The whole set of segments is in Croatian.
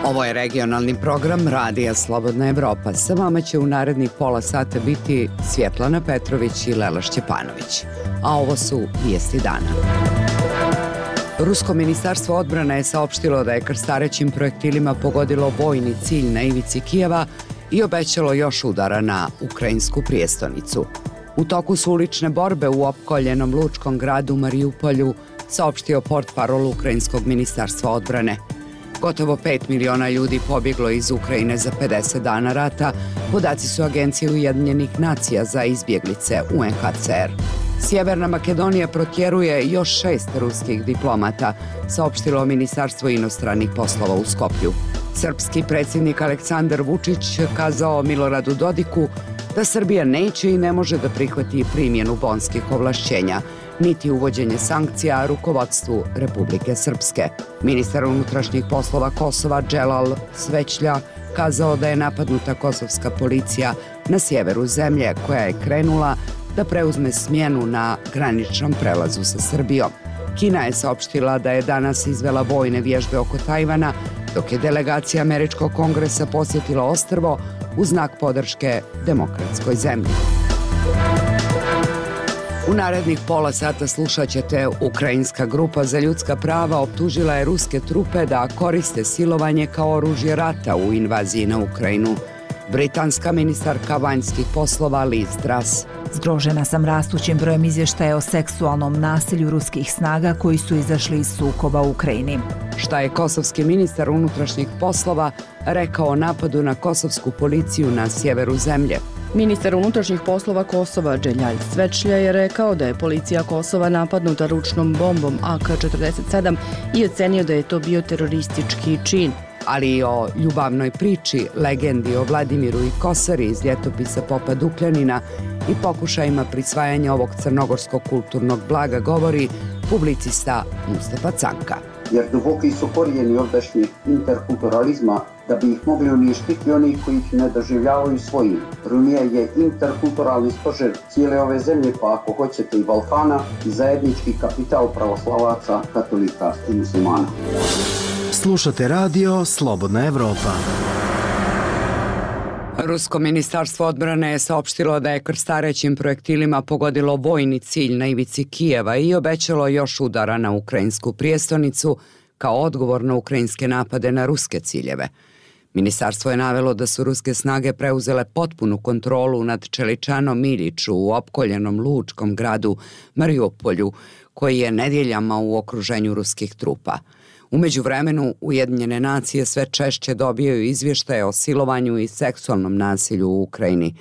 Ovo je regionalni program Radija Slobodna Evropa. Sa vama će u narednih pola sata biti Svjetlana Petrović i Lela Šćepanović. A ovo su vijesti dana. Rusko ministarstvo odbrane je saopštilo da je krstarećim projektilima pogodilo vojni cilj na ivici Kijeva i obećalo još udara na ukrajinsku prijestolnicu. U toku su ulične borbe u opkoljenom lučkom gradu Marijupolju, saopštio portparol ukrajinskog ministarstva odbrane. Gotovo 5 miliona ljudi pobjeglo iz Ukrajine za 50 dana rata, podaci su Agencije Ujedinjenih nacija za izbjeglice UNHCR. Sjeverna Makedonija protjeruje još 6 ruskih diplomata, saopštilo Ministarstvo inostranih poslova u Skoplju. Srpski predsjednik Aleksandar Vučić kazao Miloradu Dodiku da Srbija neće i ne može da prihvati primjenu bonskih ovlašćenja, niti uvođenje sankcija rukovodstvu Republike Srpske. Ministar unutrašnjih poslova Kosova Dželal Svećlja kazao da je napadnuta kosovska policija na sjeveru zemlje, koja je krenula da preuzme smjenu na graničnom prelazu sa Srbijom. Kina je saopštila da je danas izvela vojne vježbe oko Tajvana, dok je delegacija Američkog kongresa posjetila ostrvo u znak podrške demokratskoj zemlji. U narednih pola sata slušat ćete: Ukrajinska grupa za ljudska prava optužila je ruske trupe da koriste silovanje kao oružje rata u invaziji na Ukrajinu. Britanska ministarka vanjskih poslova Liz Truss: Zgrožena sam rastućim brojem izvještaja o seksualnom nasilju ruskih snaga koji su izašli iz sukoba u Ukrajini. Šta je kosovski ministar unutrašnjih poslova rekao o napadu na kosovsku policiju na sjeveru zemlje? Ministar unutrašnjih poslova Kosova Dželal Svećlja je rekao da je policija Kosova napadnuta ručnom bombom AK-47 i ocenio da je to bio teroristički čin. Ali i o ljubavnoj priči, legendi o Vladimiru i Kosari iz ljetopisa Popa Dukljanina i pokušajima prisvajanja ovog crnogorskog kulturnog blaga govori publicista Mustafa Canka. Jer duboki su korijeni ovdašnjeg interkulturalizma, da bi ih mogli uništiti oni koji ih ne doživljavaju svojim. Rumija je interkulturalni stožer cijele ove zemlje, pa ako hoćete i Balkana, i zajednički kapital pravoslavaca, katolika i muslimana. Slušate radio Slobodna Evropa. Rusko ministarstvo odbrane je saopštilo da je krstarećim projektilima pogodilo vojni cilj na ivici Kijeva i obećalo još udara na ukrajinsku prijestolnicu kao odgovor na ukrajinske napade na ruske ciljeve. Ministarstvo je navelo da su ruske snage preuzele potpunu kontrolu nad Čeličanom Iljiću u opkoljenom lučkom gradu Marijupolju, koji je nedjeljama u okruženju ruskih trupa. U međuvremenu, Ujedinjene nacije sve češće dobijaju izvještaje o silovanju i seksualnom nasilju u Ukrajini.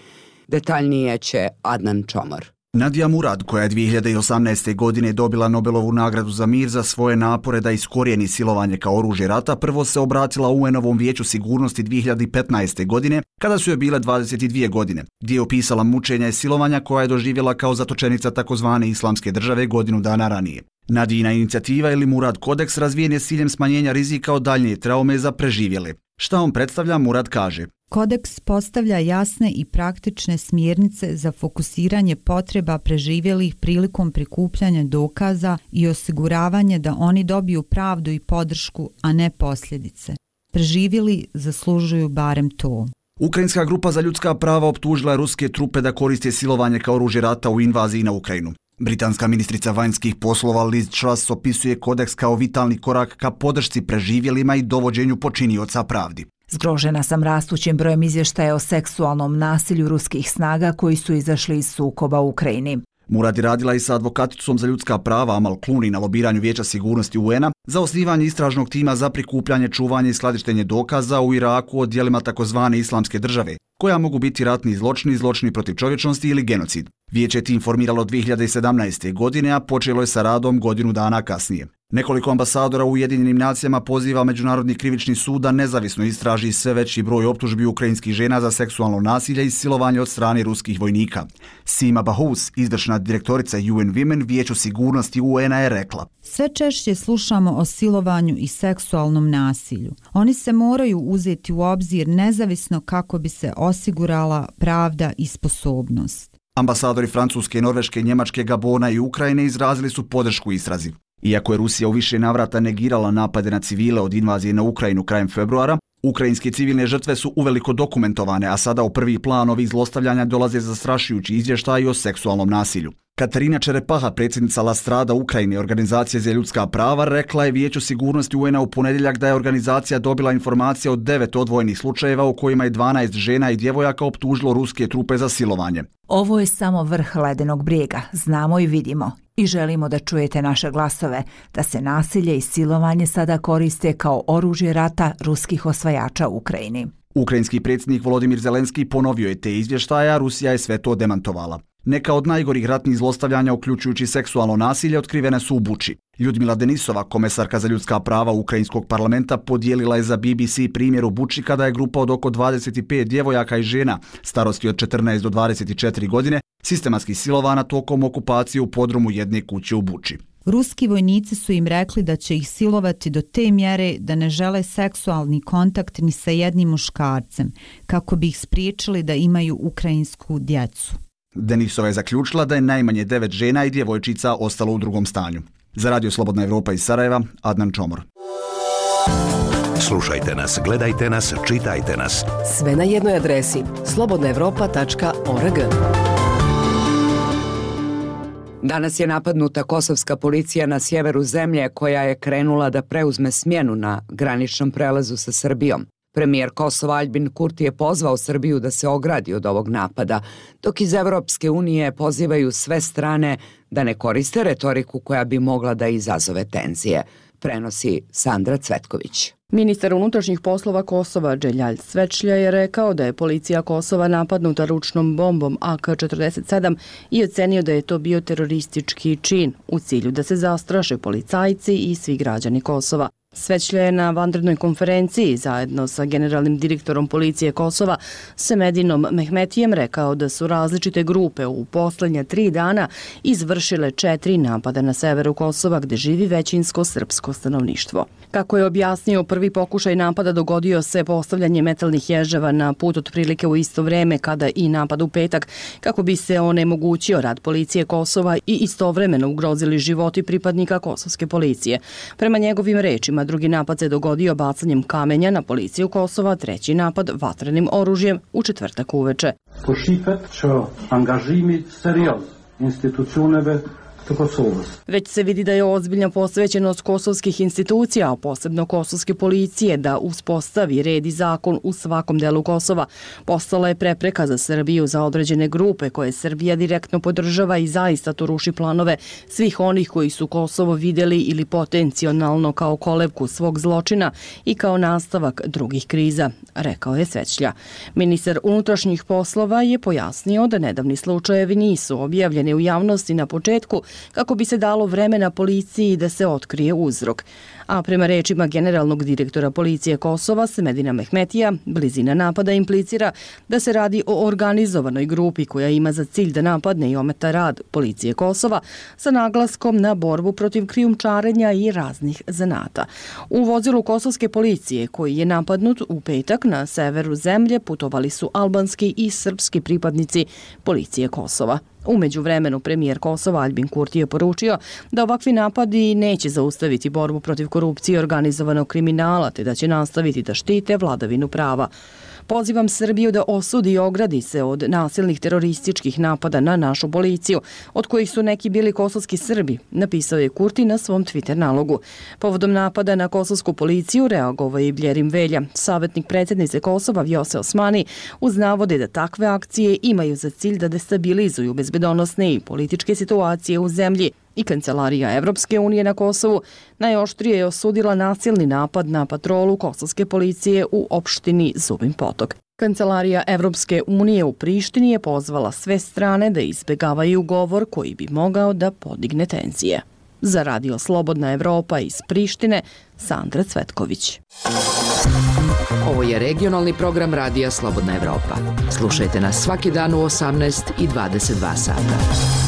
Detaljnije će Adnan Čomor. Nadija Murad, koja je 2018. godine dobila Nobelovu nagradu za mir za svoje napore da iskorijeni silovanje kao oružje rata, prvo se obratila UN-ovom vijeću sigurnosti 2015. godine, kada su joj bile 22 godine, gdje je opisala mučenja i silovanja koja je doživjela kao zatočenica takozvane Islamske države godinu dana ranije. Nadijina inicijativa ili Murad kodeks razvijen je s ciljem smanjenja rizika od daljnje traume za preživjele. Šta on predstavlja, Murad kaže: Kodeks postavlja jasne i praktične smjernice za fokusiranje potreba preživjelih prilikom prikupljanja dokaza i osiguravanje da oni dobiju pravdu i podršku, a ne posljedice. Preživjeli zaslužuju barem to. Ukrajinska grupa za ljudska prava optužila je ruske trupe da koriste silovanje kao oružje rata u invaziji na Ukrajinu. Britanska ministrica vanjskih poslova Liz Truss opisuje kodeks kao vitalni korak ka podršci preživjelima i dovođenju počinioca pravdi. Zgrožena sam rastućim brojem izvještaja o seksualnom nasilju ruskih snaga koji su izašli iz sukoba u Ukrajini. Murad je radila i sa advokaticom za ljudska prava Amal Clooney na lobiranju Vijeća sigurnosti UN-a za osnivanje istražnog tima za prikupljanje, čuvanje i skladištenje dokaza u Iraku o djelima takozvane Islamske države, koja mogu biti ratni zločini, zločini protiv čovječnosti ili genocid. Vijeće je tim formiralo 2017. godine, a počelo je sa radom godinu dana kasnije. Nekoliko ambasadora u Ujedinjenim nacijama poziva Međunarodni krivični sud da nezavisno istraži sve veći broj optužbi ukrajinskih žena za seksualno nasilje i silovanje od strane ruskih vojnika. Sima Bahous, izvršna direktorica UN Women Vijeću sigurnosti UN-a, je rekla: Sve češće slušamo o silovanju i seksualnom nasilju. Oni se moraju uzeti u obzir nezavisno kako bi se osigurala pravda i sposobnost. Ambasadori Francuske, Norveške, Njemačke, Gabona i Ukrajine izrazili su podršku istrazi. Iako je Rusija u više navrata negirala napade na civile od invazije na Ukrajinu krajem februara, ukrajinske civilne žrtve su uveliko dokumentovane, a sada u prvi plan ovih zlostavljanja dolaze zastrašujući izvještaji o seksualnom nasilju. Katarina Čerepaha, predsjednica La Strada Ukrajine, organizacije za ljudska prava, rekla je Vijeću sigurnosti UN-a u ponedjeljak da je organizacija dobila informacije o 9 odvojenih slučajeva u kojima je 12 žena i djevojaka optužilo ruske trupe za silovanje. Ovo je samo vrh ledenog brijega, znamo i vidimo. I želimo da čujete naše glasove, da se nasilje i silovanje sada koriste kao oružje rata ruskih osvajača u Ukrajini. Ukrajinski predsjednik Volodimir Zelenski ponovio je te izvještaje, a Rusija je sve to demantovala. Neka od najgorih ratnih zlostavljanja, uključujući seksualno nasilje, otkrivene su u Buči. Ljudmila Denisova, komesarka za ljudska prava Ukrajinskog parlamenta, podijelila je za BBC primjer u Buči kada je grupa od oko 25 djevojaka i žena starosti od 14 do 24 godine sistematski silovana tokom okupacije u podrumu jedne kuće u Buči. Ruski vojnici su im rekli da će ih silovati do te mjere da ne žele seksualni kontakt ni sa jednim muškarcem, kako bi ih spriječili da imaju ukrajinsku djecu. Denisova je zaključila da je najmanje 9 žena i djevojčica ostalo u drugom stanju. Za Radio Slobodna Evropa iz Sarajeva, Adnan Čomor. Slušajte nas, gledajte nas, čitajte nas. Sve na jednoj adresi slobodnaevropa.org. Danas je napadnuta kosovska policija na sjeveru zemlje koja je krenula da preuzme smjenu na graničnom prelazu sa Srbijom. Premijer Kosova Aljbin Kurti je pozvao Srbiju da se ogradi od ovog napada, dok iz Evropske unije pozivaju sve strane da ne koriste retoriku koja bi mogla da izazove tenzije, prenosi Sandra Cvetković. Ministar unutrašnjih poslova Kosova Dželjal Svečlja je rekao da je policija Kosova napadnuta ručnom bombom AK-47 i ocenio da je to bio teroristički čin u cilju da se zastraše policajci i svi građani Kosova. Svečlja je na vanrednoj konferenciji zajedno sa generalnim direktorom policije Kosova Semedinom Mehmetijem rekao da su različite grupe u posljednja 3 dana izvršile 4 napada na severu Kosova gdje živi većinsko srpsko stanovništvo. Kako je objasnio, prvi pokušaj napada dogodio se postavljanje metalnih ježeva na put otprilike u isto vrijeme kada i napad u petak, kako bi se onemogućio rad policije Kosova i istovremeno ugrozili životi pripadnika kosovske policije. Prema njegovim rečima, drugi napad se dogodio bacanjem kamenja na policiju Kosova, treći napad vatrenim oružjem u četvrtak uveče. Po shifet që angazhimi serioz institucioneve të Kosovës. Već se vidi da je ozbiljna posvećenost kosovskih institucija, a posebno kosovske policije, da uspostavi red i zakon u svakom delu Kosova. Postala je prepreka za Srbiju za određene grupe koje Srbija direktno podržava i zaista to ruši planove svih onih koji su Kosovo vidjeli ili potencijalno kao kolevku svog zločina i kao nastavak drugih kriza, rekao je Svečlja. Ministar unutrašnjih poslova je pojasnio da nedavni slučajevi nisu objavljeni u javnosti na početku kako bi se dalo vremena policiji da se otkrije uzrok. A prema rečima generalnog direktora policije Kosova Semedina Mehmetija, blizina napada implicira da se radi o organizovanoj grupi koja ima za cilj da napadne i ometa rad policije Kosova sa naglaskom na borbu protiv krijumčarenja i raznih zanata. U vozilu kosovske policije koji je napadnut u petak na severu zemlje putovali su albanski i srpski pripadnici policije Kosova. U međuvremenu premijer Kosova Aljbin Kurti je poručio da ovakvi napadi neće zaustaviti borbu protiv korupcije i organizovanog kriminala, te da će nastaviti da štite vladavinu prava. Pozivam Srbiju da osudi i ogradi se od nasilnih terorističkih napada na našu policiju, od kojih su neki bili kosovski Srbi, napisao je Kurti na svom Twitter nalogu. Povodom napada na kosovsku policiju reagovao je i Bljerim Velja, savjetnik predsjednice Kosova Vjose Osmani, uz navode da takve akcije imaju za cilj da destabilizuju bezbedonosne i političke situacije u zemlji. I Kancelarija Evropske unije na Kosovu najoštrije je osudila nasilni napad na patrolu kosovske policije u opštini Zubin Potok. Kancelarija Evropske unije u Prištini je pozvala sve strane da izbjegavaju govor koji bi mogao da podigne tenzije. Za Radio Slobodna Evropa iz Prištine, Sandra Cvetković. Ovo je regionalni program Radija Slobodna Evropa. Slušajte nas svaki dan u 18 i 22 sata.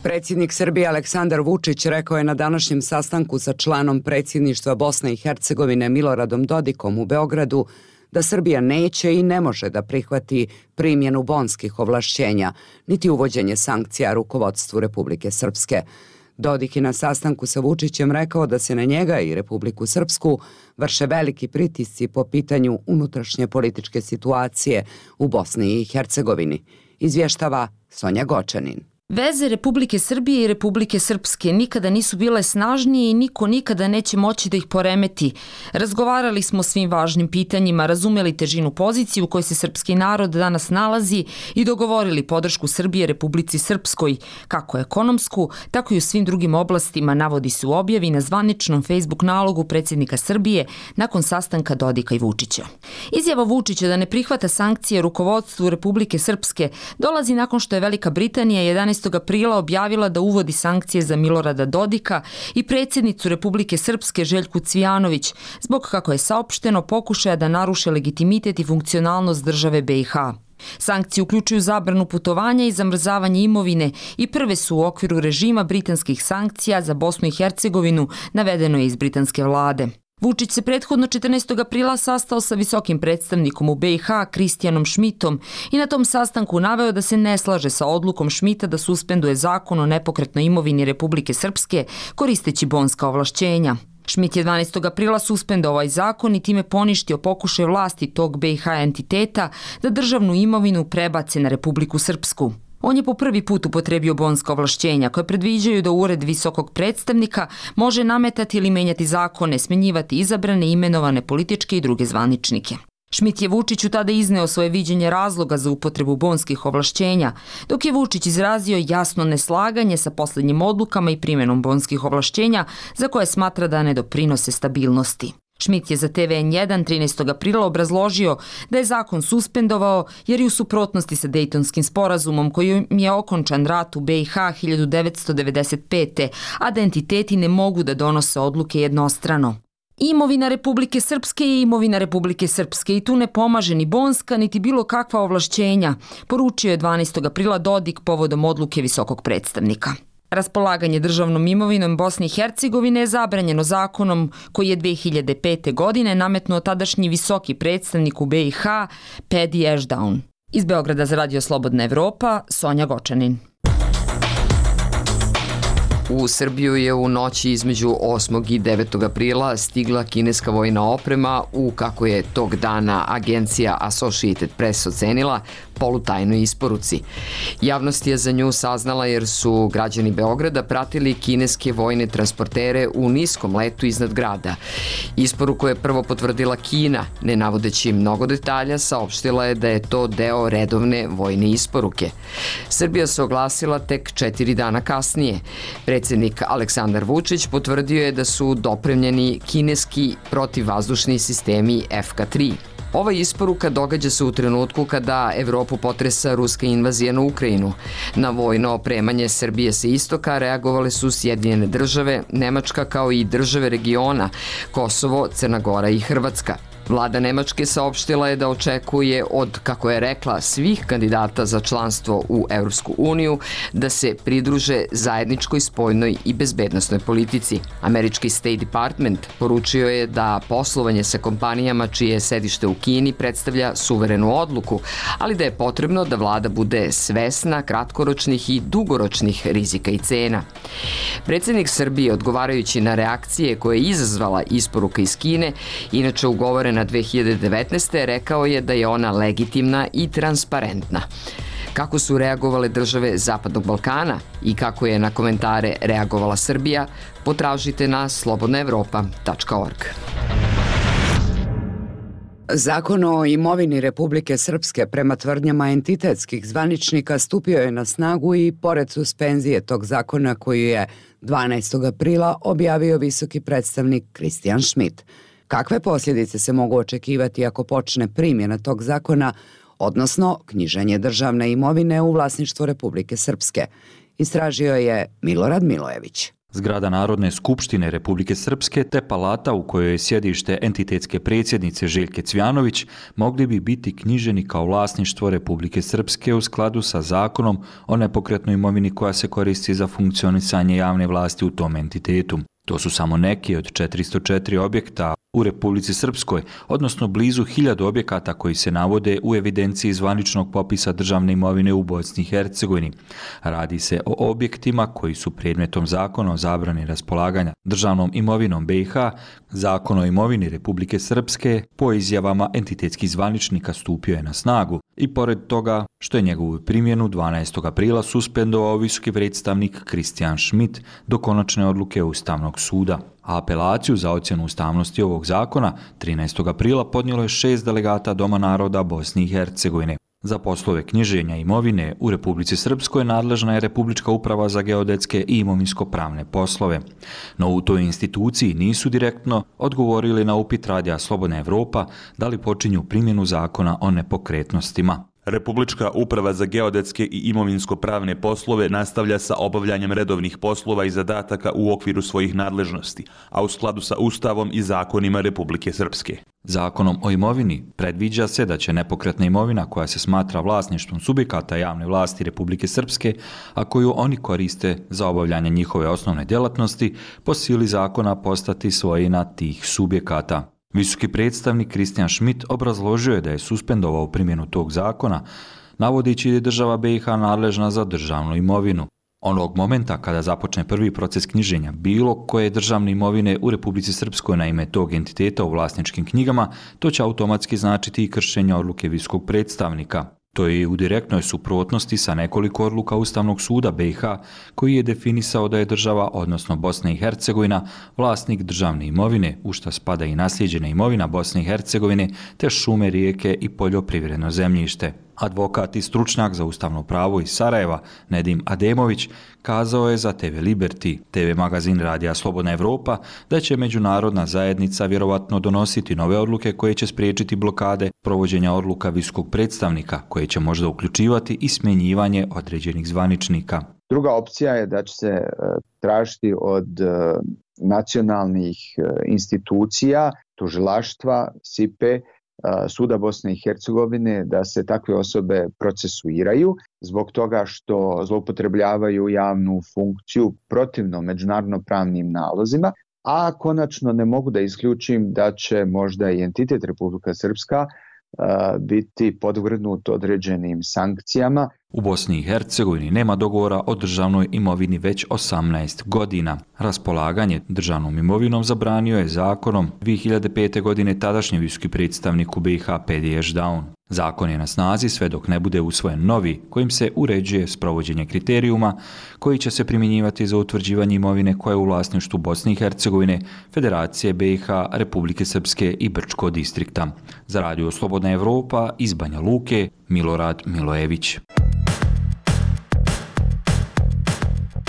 Predsjednik Srbije Aleksandar Vučić rekao je na današnjem sastanku sa članom predsjedništva Bosne i Hercegovine Miloradom Dodikom u Beogradu da Srbija neće i ne može da prihvati primjenu bonskih ovlašćenja, niti uvođenje sankcija rukovodstvu Republike Srpske. Dodik je na sastanku sa Vučićem rekao da se na njega i Republiku Srpsku vrše veliki pritisci po pitanju unutrašnje političke situacije u Bosni i Hercegovini. Izvještava Sonja Gočanin. Veze Republike Srbije i Republike Srpske nikada nisu bile snažnije i niko nikada neće moći da ih poremeti. Razgovarali smo o svim važnim pitanjima, razumeli težinu pozicije u kojoj se srpski narod danas nalazi i dogovorili podršku Srbije Republici Srpskoj, kako ekonomsku, tako i u svim drugim oblastima, navodi se u objavi na zvaničnom Facebook nalogu predsjednika Srbije nakon sastanka Dodika i Vučića. Izjava Vučića da ne prihvata sankcije rukovodstvu Republike Srpske dolazi nakon što je Velika Britanija 11. aprila objavila da uvodi sankcije za Milorada Dodika i predsjednicu Republike Srpske Željku Cvijanović zbog, kako je saopšteno, pokušaja da naruše legitimitet i funkcionalnost države BiH. Sankcije uključuju zabranu putovanja i zamrzavanje imovine i prve su u okviru režima britanskih sankcija za Bosnu i Hercegovinu, navedeno je iz britanske vlade. Vučić se prethodno 14. aprila sastao sa visokim predstavnikom u BiH Kristijanom Šmitom i na tom sastanku naveo da se ne slaže sa odlukom Šmita da suspenduje zakon o nepokretnoj imovini Republike Srpske koristeći bonska ovlašćenja. Šmit je 12. aprila suspendovao ovaj zakon i time poništio pokušaj vlasti tog BiH entiteta da državnu imovinu prebace na Republiku Srpsku. On je po prvi put upotrebio bonska ovlašćenja koje predviđaju da ured visokog predstavnika može nametati ili menjati zakone, smenjivati izabrane, imenovane političke i druge zvaničnike. Šmit je Vučiću tada izneo svoje viđenje razloga za upotrebu bonskih ovlašćenja, dok je Vučić izrazio jasno neslaganje sa posljednjim odlukama i primjenom bonskih ovlašćenja za koje smatra da ne doprinose stabilnosti. Šmit je za TVN1 13. aprila obrazložio da je zakon suspendovao jer je u suprotnosti sa Dejtonskim sporazumom kojim je okončan rat u BiH 1995. a da entiteti ne mogu da donose odluke jednostrano. Imovina Republike Srpske je imovina Republike Srpske i tu ne pomaže ni bonska niti bilo kakva ovlašćenja, poručio je 12. aprila Dodik povodom odluke visokog predstavnika. Raspolaganje državnom imovinom Bosne i Hercegovine je zabranjeno zakonom koji je 2005. godine nametnuo tadašnji visoki predstavnik u BiH Pedi Ešdaun. Iz Beograda za Radio Slobodna Evropa, Sonja Gočanin. U Srbiju je u noći između 8. i 9. aprila stigla kineska vojna oprema u, kako je tog dana agencija Associated Press ocenila, polutajnoj isporuci. Javnost je za nju saznala jer su građani Beograda pratili kineske vojne transportere u niskom letu iznad grada. Isporuku je prvo potvrdila Kina, ne navodeći mnogo detalja, saopštila je da je to deo redovne vojne isporuke. Srbija se oglasila tek 4 dana kasnije. Predsjednik Aleksandar Vučić potvrdio je da su dopremljeni kineski protivvazdušni sistemi FK-3. Ova isporuka događa se u trenutku kada Evropu potresa ruska invazija na Ukrajinu. Na vojno opremanje Srbije sa istoka reagovale su Sjedinjene države, Nemačka kao i države regiona, Kosovo, Crna Gora i Hrvatska. Vlada Nemačke saopštila je da očekuje od, kako je rekla, svih kandidata za članstvo u Evropsku uniju da se pridruže zajedničkoj spoljnoj i bezbednosnoj politici. Američki State Department poručio je da poslovanje sa kompanijama čije je sedište u Kini predstavlja suverenu odluku, ali da je potrebno da vlada bude svesna kratkoročnih i dugoročnih rizika i cena. Predsjednik Srbije, odgovarajući na reakcije koje je izazvala isporuka iz Kine, inače ugovorena 2019. rekao je da je ona legitimna i transparentna. Kako su reagovale države Zapadnog Balkana i kako je na komentare reagovala Srbija, potražite na slobodnaevropa.org. Zakon o imovini Republike Srpske prema tvrdnjama entitetskih zvaničnika stupio je na snagu i pored suspenzije tog zakona koju je 12. aprila objavio visoki predstavnik Kristijan Šmit. Kakve posljedice se mogu očekivati ako počne primjena tog zakona, odnosno knjiženje državne imovine u vlasništvo Republike Srpske? Istražio je Milorad Milojević. Zgrada Narodne skupštine Republike Srpske te palata u kojoj je sjedište entitetske predsjednice Željke Cvijanović mogli bi biti knjiženi kao vlasništvo Republike Srpske u skladu sa zakonom o nepokretnoj imovini koja se koristi za funkcionisanje javne vlasti u tom entitetu. To su samo neki od 404 objekta u Republici Srpskoj, odnosno blizu 1000 objekata koji se navode u evidenciji zvaničnog popisa državne imovine u Bosni i Hercegovini. Radi se o objektima koji su predmetom zakona o zabrani raspolaganja državnom imovinom BiH, zakon o imovini Republike Srpske po izjavama entitetskih zvaničnika stupio je na snagu i pored toga što je njegovu primjenu 12. aprila suspendovao visoki predstavnik Christian Schmidt do konačne odluke Ustavnog suda. A apelaciju za ocjenu ustavnosti ovog zakona 13. aprila podnijelo je 6 delegata Doma naroda Bosne i Hercegovine. Za poslove knjiženja imovine u Republici Srpskoj nadležna je Republička uprava za geodetske i imovinsko-pravne poslove. No u toj instituciji nisu direktno odgovorili na upit Radija Slobodna Evropa da li počinju primjenu zakona o nepokretnostima. Republička uprava za geodetske i imovinsko-pravne poslove nastavlja sa obavljanjem redovnih poslova i zadataka u okviru svojih nadležnosti, a u skladu sa Ustavom i zakonima Republike Srpske. Zakonom o imovini predviđa se da će nepokretna imovina koja se smatra vlasništvom subjekata javne vlasti Republike Srpske, a koju oni koriste za obavljanje njihove osnovne djelatnosti, po sili zakona postati svojina tih subjekata. Visoki predstavnik Christian Schmidt obrazložio je da je suspendovao primjenu tog zakona, navodeći da je država BiH nadležna za državnu imovinu. Onog momenta kada započne prvi proces knjiženja bilo koje državne imovine u Republici Srpskoj na ime tog entiteta u vlasničkim knjigama, to će automatski značiti i kršenje odluke visokog predstavnika. To je u direktnoj suprotnosti sa nekoliko odluka Ustavnog suda BiH koji je definisao da je država, odnosno Bosna i Hercegovina, vlasnik državne imovine, u što spada i naslijeđena imovina Bosne i Hercegovine, te šume, rijeke i poljoprivredno zemljište. Advokat i stručnjak za ustavno pravo iz Sarajeva, Nedim Ademović, kazao je za TV Liberty, TV magazin Radija Slobodna Evropa, da će međunarodna zajednica vjerovatno donositi nove odluke koje će spriječiti blokade provođenja odluka visokog predstavnika, koje će možda uključivati i smjenjivanje određenih zvaničnika. Druga opcija je da će se tražiti od nacionalnih institucija, tužilaštva, SIPE, Suda Bosne i Hercegovine da se takve osobe procesuiraju zbog toga što zloupotrebljavaju javnu funkciju protivno međunarodno pravnim nalozima, a konačno ne mogu da isključim da će možda i entitet Republika Srpska biti podvrgnut određenim sankcijama. U Bosni i Hercegovini nema dogovora o državnoj imovini već 18 godina. Raspolaganje državnom imovinom zabranio je zakonom 2005. godine tadašnji visoki predstavnik u BiH Pedi Ešdaun. Zakon je na snazi sve dok ne bude usvojen novi, kojim se uređuje sprovođenje kriterijuma koji će se primjenjivati za utvrđivanje imovine koja je u vlasništvu Bosne i Hercegovine, Federacije BiH, Republike Srpske i Brčko distrikta. Za Radio Slobodna Evropa iz Banja Luke, Milorad Milojević.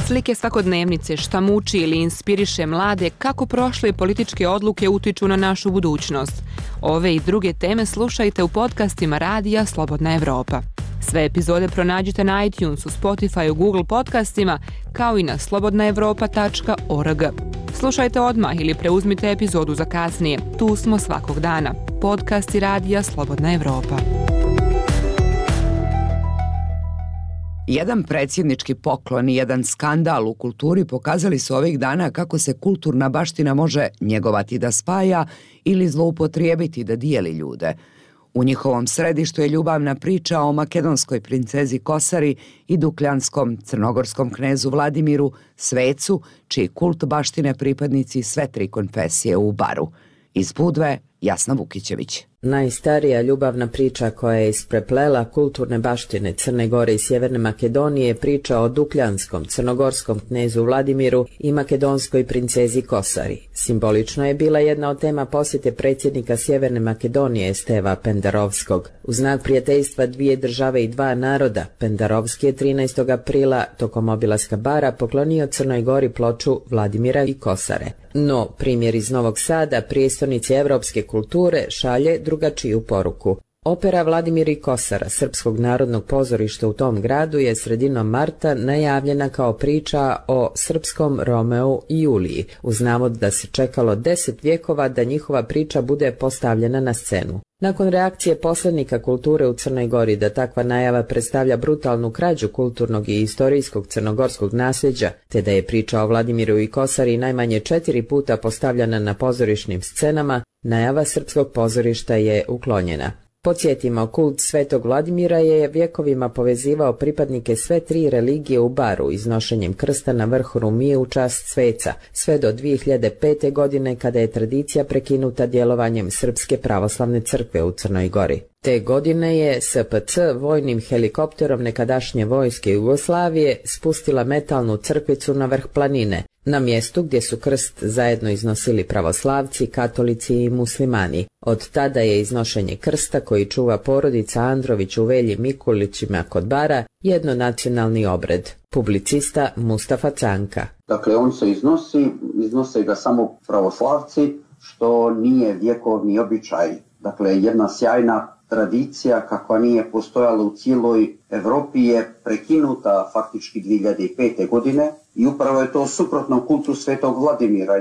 Slike svakodnevnice, šta muči ili inspiriše mlade, kako prošle političke odluke utiču na našu budućnost. Ove i druge teme slušajte u podcastima Radija Slobodna Evropa. Sve epizode pronađite na iTunesu, Spotify, Google podcastima, kao i na slobodnaevropa.org. Slušajte odmah ili preuzmite epizodu za kasnije. Tu smo svakog dana. Podcasti Radija Slobodna Evropa. Jedan predsjednički poklon i jedan skandal u kulturi pokazali su ovih dana kako se kulturna baština može njegovati da spaja ili zloupotrijebiti da dijeli ljude. U njihovom središtu je ljubavna priča o makedonskoj princezi Kosari i dukljanskom crnogorskom knezu Vladimiru, svecu, čiji kult baštine pripadnici sve tri konfesije u Baru. Iz Budve, Jasna Vukićević. Najstarija ljubavna priča koja je ispreplela kulturne baštine Crne Gore i Sjeverne Makedonije je priča o dukljanskom crnogorskom knezu Vladimiru i makedonskoj princezi Kosari. Simbolično je bila jedna od tema posjete predsjednika Sjeverne Makedonije Steva Pendarovskog. U znak prijateljstva dvije države i dva naroda, Pendarovski je 13. aprila tokom obilaska Bara poklonio Crnoj Gori ploču Vladimira i Kosare. No, primjer iz Novog Sada, prijestolnici evropske kulture, šalje drugačiju poruku. Opera Vladimir i Kosara Srpskog narodnog pozorišta u tom gradu je sredinom marta najavljena kao priča o srpskom Romeu i Juliji, uz navod da se čekalo 10 vjekova da njihova priča bude postavljena na scenu. Nakon reakcije poslanika kulture u Crnoj Gori da takva najava predstavlja brutalnu krađu kulturnog i istorijskog crnogorskog nasljeđa, te da je priča o Vladimiru i Kosari najmanje 4 puta postavljena na pozorišnim scenama, Najava srpskog pozorišta je uklonjena. Podsjetimo, kult Svetog Vladimira je vjekovima povezivao pripadnike sve tri religije u Baru iznošenjem krsta na vrh Rumije u čast sveca, sve do 2005. godine kada je tradicija prekinuta djelovanjem Srpske pravoslavne crkve u Crnoj Gori. Te godine je SPC vojnim helikopterom nekadašnje vojske Jugoslavije spustila metalnu crkvicu na vrh planine, na mjestu gdje su krst zajedno iznosili pravoslavci, katolici i muslimani. Od tada je iznošenje krsta koji čuva porodica Andrović u Velji Mikulićima kod Bara jednonacionalni obred. Publicista Mustafa Canka. Dakle, on se iznose ga samo pravoslavci, što nije vjekovni običaj. Dakle, jedna sjajna tradicija kakva nije postojala u cijeloj Evropi je prekinuta faktički 2005. godine i upravo je to suprotno kultu Svetog Vladimira,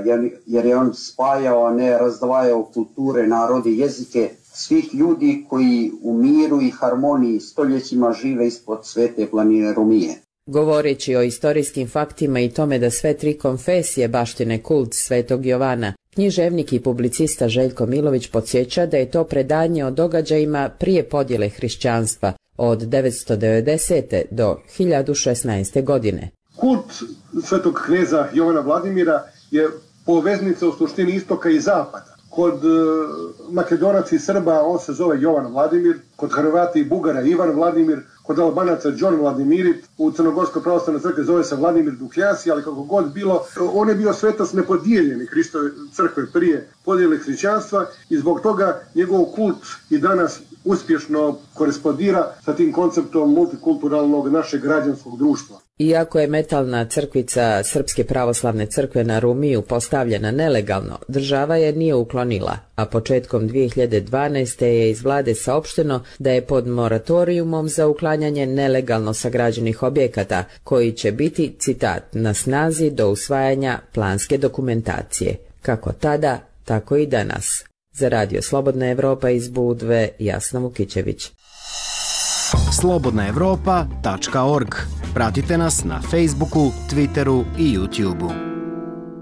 jer je on spajao, a ne razdvajao kulture, narode, jezike svih ljudi koji u miru i harmoniji stoljećima žive ispod svete planine Rumije. Govoreći o istorijskim faktima i tome da sve tri konfesije baštine kult Svetog Jovana, književnik i publicista Željko Milović podsjeća da je to predanje o događajima prije podjele hrišćanstva od 990. do 1016. godine. Kult svetog kneza Jovana Vladimira je poveznica u suštini istoka i zapada. Kod Makedonaca i Srba on se zove Jovan Vladimir, kod Hrvata i Bugara Ivan Vladimir, kod Albanaca John Vladimirit, u Crnogorskoj pravoslavnoj crkvi zove se Vladimir Dukljasi, ali kako god bilo, on je bio svetac nepodijeljeni Hristove crkve prije podjele hrišćanstva i zbog toga njegov kult i danas uspješno korespondira sa tim konceptom multikulturalnog našeg građanskog društva. Iako je metalna crkvica Srpske pravoslavne crkve na Rumiju postavljena nelegalno, država je nije uklonila, a početkom 2012. je iz vlade saopšteno da je pod moratorijumom za uklanjanje nelegalno sagrađenih objekata, koji će biti, citat, na snazi do usvajanja planske dokumentacije. Kako tada, tako i danas. Za Radio Slobodna Evropa iz Budve, Jasna Vukićević. slobodnaevropa.org. Pratite nas na Facebooku, Twitteru i YouTubeu.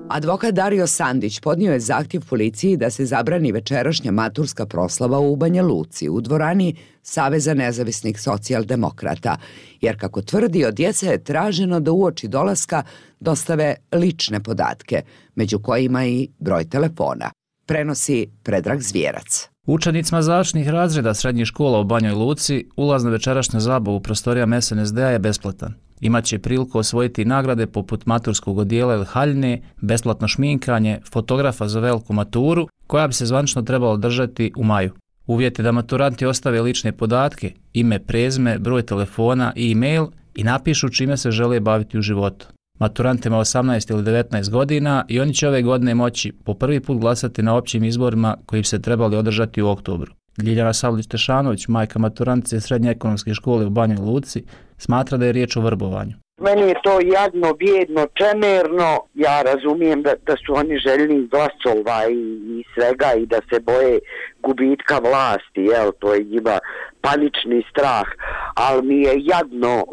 Advokat Dario Sandić podnio je zahtjev policiji da se zabrani večerašnja maturska proslava u Banja Luci u dvorani Saveza nezavisnih socijaldemokrata, jer kako tvrdi od djece je traženo da uoči dolaska dostave lične podatke, među kojima i broj telefona. Prenosi Predrag Zvijerac. Učenicima završnih razreda srednjih škola u Banjoj Luci ulaz na večerašnju zabavu u prostorijama SNSD-a je besplatan. Imaće priliku osvojiti nagrade poput maturskog odijela ili haljine, besplatno šminkanje, fotografa za veliku maturu, koja bi se zvanično trebala održati u maju. Uvjet je da maturanti ostave lične podatke, ime, prezime, broj telefona i e-mail i napišu čime se žele baviti u životu. Maturant ima 18 ili 19 godina i oni će ove godine moći po prvi put glasati na općim izborima koji bi se trebali održati u oktobru. Ljiljana Savlić-Tešanović, majka maturantice Srednje ekonomske škole u Banjoj Luci, smatra da je riječ o vrbovanju. Meni je to jadno, bijedno, čemerno. Ja razumijem da su oni željni glasova i svega i da se boje gubitka vlasti, to je njima panični strah, ali mi je jadno,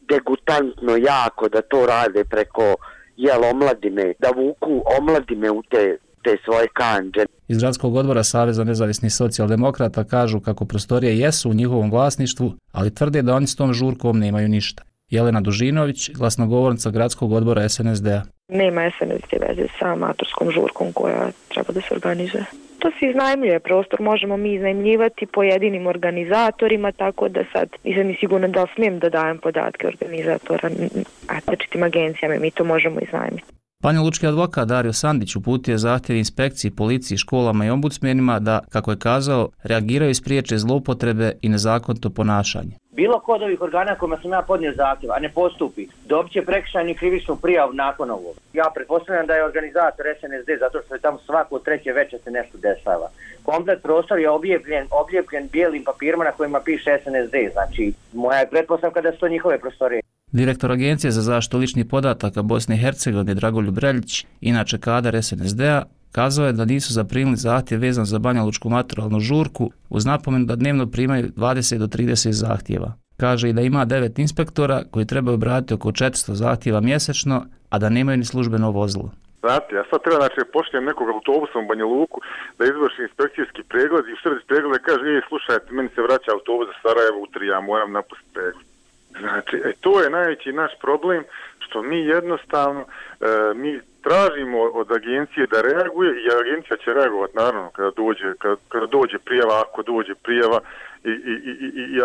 degutantno jako da to rade preko omladine, da vuku omladine u te svoje kandže. Iz gradskog odbora Saveza nezavisnih socijaldemokrata kažu kako prostorije jesu u njihovom vlasništvu, ali tvrde da oni s tom žurkom nemaju ništa. Jelena Dužinović, glasnogovornica gradskog odbora SNSD-a. Nema SNSD veze sa maturskom žurkom koja treba da se organizuje. To se iznajmljuje prostor, možemo mi iznajmljivati pojedinim organizatorima, tako da sad nisam ni sigurna da smijem da dajem podatke organizatora različitim agencijama, mi to možemo iznajmiti. Banjalučki advokat Dario Sandić uputio je zahtjev inspekciji, policiji, školama i ombudsmenima da, kako je kazao, reagiraju i spriječe zloupotrebe i nezakonito ponašanje. Bilo ko od ovih organa kojima sam ja podnio zahtjev, a ne postupi, dobit će prekršajnu krivičnu prijavu nakon ovog. Ja pretpostavljam da je organizator SNSD zato što je tamo svako treće večer se nešto dešava. Komplet prostor je obljepljen bijelim papirima na kojima piše SNSD, znači moja je pretpostavka da su to njihove prostorije. Direktor Agencije za zaštitu ličnih podataka Bosne i Hercegovine Dragoljub Reljić, inače kadar SNSD-a, kazao je da nisu zaprimili zahtjev vezan za banjalučku maturalnu žurku uz napomenu da dnevno primaju 20 do 30 zahtjeva. Kaže i da ima 9 inspektora koji trebaju obraditi oko 400 zahtjeva mjesečno, a da nemaju ni službeno vozilo. Znate, ja sad treba, znači, pošljem nekog autobusom u Banja Luku da izvrši inspekcijski pregled i u sredi pregleda kaže, slušajte, meni se vraća autobus za Sarajevo u 3, ja moram napustiti pregled. Znači, to je najveći naš problem, što mi jednostavno, mi tražimo od agencije da reaguje i agencija će reagovati, naravno, kada dođe prijava, ako dođe prijava i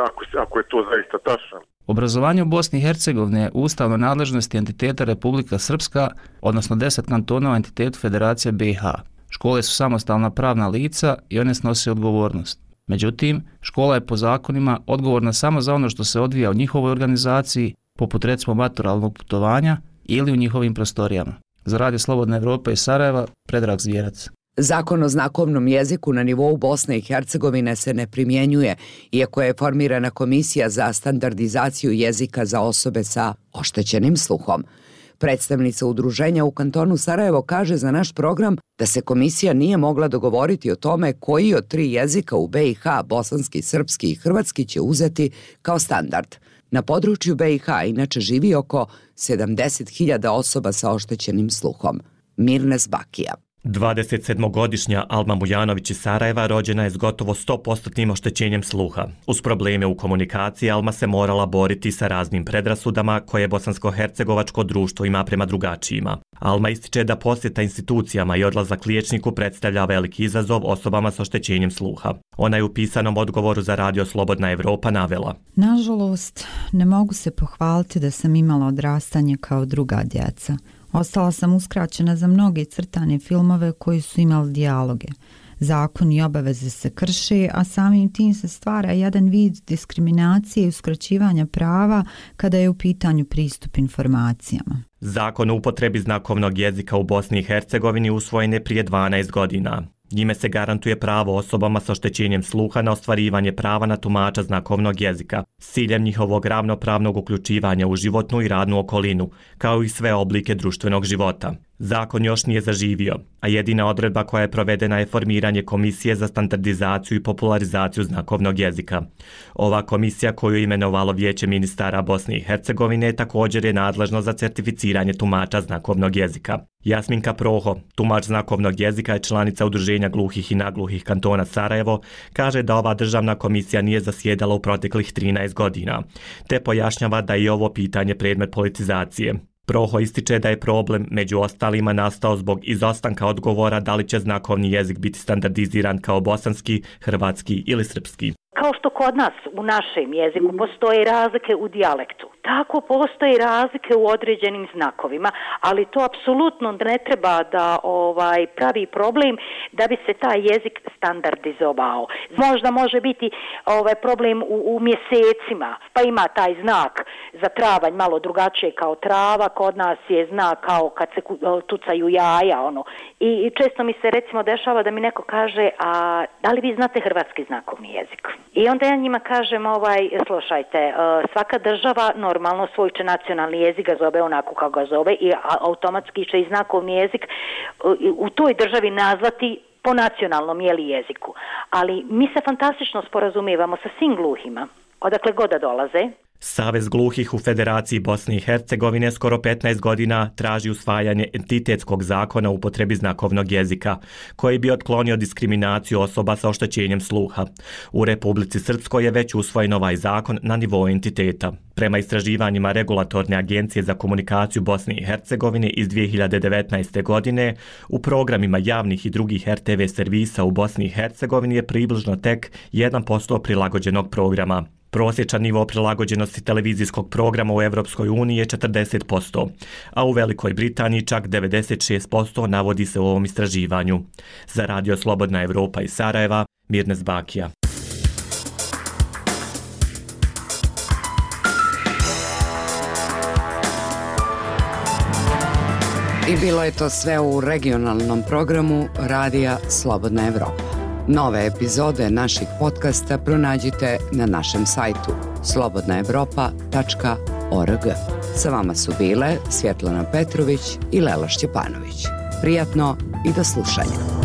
ako je to zaista tačno. Obrazovanje u Bosni i Hercegovini je ustavno nadležnosti entiteta Republika Srpska, odnosno 10 kantona u entitetu Federacije BiH. Škole su samostalna pravna lica i one snose odgovornost. Međutim, škola je po zakonima odgovorna samo za ono što se odvija u njihovoj organizaciji, poput recimo maturalnog putovanja ili u njihovim prostorijama. Za Radio Slobodna Evropa iz Sarajeva, Predrag Zvjerac. Zakon o znakovnom jeziku na nivou Bosne i Hercegovine se ne primjenjuje, iako je formirana komisija za standardizaciju jezika za osobe sa oštećenim sluhom. Predstavnica udruženja u kantonu Sarajevo kaže za naš program da se komisija nije mogla dogovoriti o tome koji od 3 jezika u BiH, bosanski, srpski i hrvatski, će uzeti kao standard. Na području BiH inače živi oko 70.000 osoba sa oštećenim sluhom. Mirnes Bakija. 27-godišnja Alma Mujanović iz Sarajeva rođena je s gotovo 100% oštećenjem sluha. Uz probleme u komunikaciji Alma se morala boriti sa raznim predrasudama koje bosansko-hercegovačko društvo ima prema drugačijima. Alma ističe da posjeta institucijama i odlazak liječniku predstavlja veliki izazov osobama s oštećenjem sluha. Ona je u pisanom odgovoru za Radio Slobodna Evropa navela: Nažalost, ne mogu se pohvaliti da sam imala odrastanje kao druga djeca. Ostala sam uskraćena za mnoge crtane filmove koji su imali dijaloge. Zakon i obaveze se krše, a samim tim se stvara jedan vid diskriminacije i uskraćivanja prava kada je u pitanju pristup informacijama. Zakon o upotrebi znakovnog jezika u Bosni i Hercegovini usvojen je prije 12 godina. Njime se garantuje pravo osobama sa oštećenjem sluha na ostvarivanje prava na tumača znakovnog jezika s ciljem njihovog ravnopravnog uključivanja u životnu i radnu okolinu, kao i sve oblike društvenog života. Zakon još nije zaživio, a jedina odredba koja je provedena je formiranje Komisije za standardizaciju i popularizaciju znakovnog jezika. Ova komisija, koju je imenovalo Vijeće ministara Bosne i Hercegovine, također je nadležno za certificiranje tumača znakovnog jezika. Jasminka Proho, tumač znakovnog jezika i članica Udruženja gluhih i nagluhih kantona Sarajevo, kaže da ova državna komisija nije zasjedala u proteklih 13 godina, te pojašnjava da je ovo pitanje predmet politizacije. Proho ističe da je problem među ostalima nastao zbog izostanka odgovora da li će znakovni jezik biti standardiziran kao bosanski, hrvatski ili srpski. Kao što kod nas u našem jeziku postoje razlike u dijalektu, tako postoje razlike u određenim znakovima, ali to apsolutno ne treba da pravi problem da bi se taj jezik standardizovao. Možda može biti problem u mjesecima, pa ima taj znak za travanj malo drugačije kao trava, kod nas je znak kao kad se tucaju jaja, I često mi se recimo dešava da mi neko kaže, a da li vi znate hrvatski znakovni jezik? I onda ja njima kažem, slušajte, svaka država normalno svoj će nacionalni jezik ga zove onako kako ga zove i automatski će i znakovni jezik u toj državi nazvati po nacionalnom jeziku. Ali mi se fantastično sporazumijevamo sa svim gluhima, odakle god da dolaze. Savez gluhih u Federaciji Bosne i Hercegovine skoro 15 godina traži usvajanje entitetskog zakona o upotrebi znakovnog jezika, koji bi otklonio diskriminaciju osoba sa oštećenjem sluha. U Republici Srpskoj je već usvojen ovaj zakon na nivou entiteta. Prema istraživanjima Regulatorne agencije za komunikaciju Bosne i Hercegovine iz 2019. godine, u programima javnih i drugih RTV servisa u Bosni i Hercegovini je približno tek 1% prilagođenog programa. Prosječan nivo prilagođenosti televizijskog programa u Evropskoj uniji je 40%, a u Velikoj Britaniji čak 96% navodi se u ovom istraživanju. Za Radio Slobodna Evropa iz Sarajeva, Mirnes Bakija. I bilo je to sve u regionalnom programu Radija Slobodna Evropa. Nove epizode naših podcasta pronađite na našem sajtu slobodnaevropa.org. Sa vama su bile Svjetlana Petrović i Lela Šćepanović. Prijatno i do slušanja.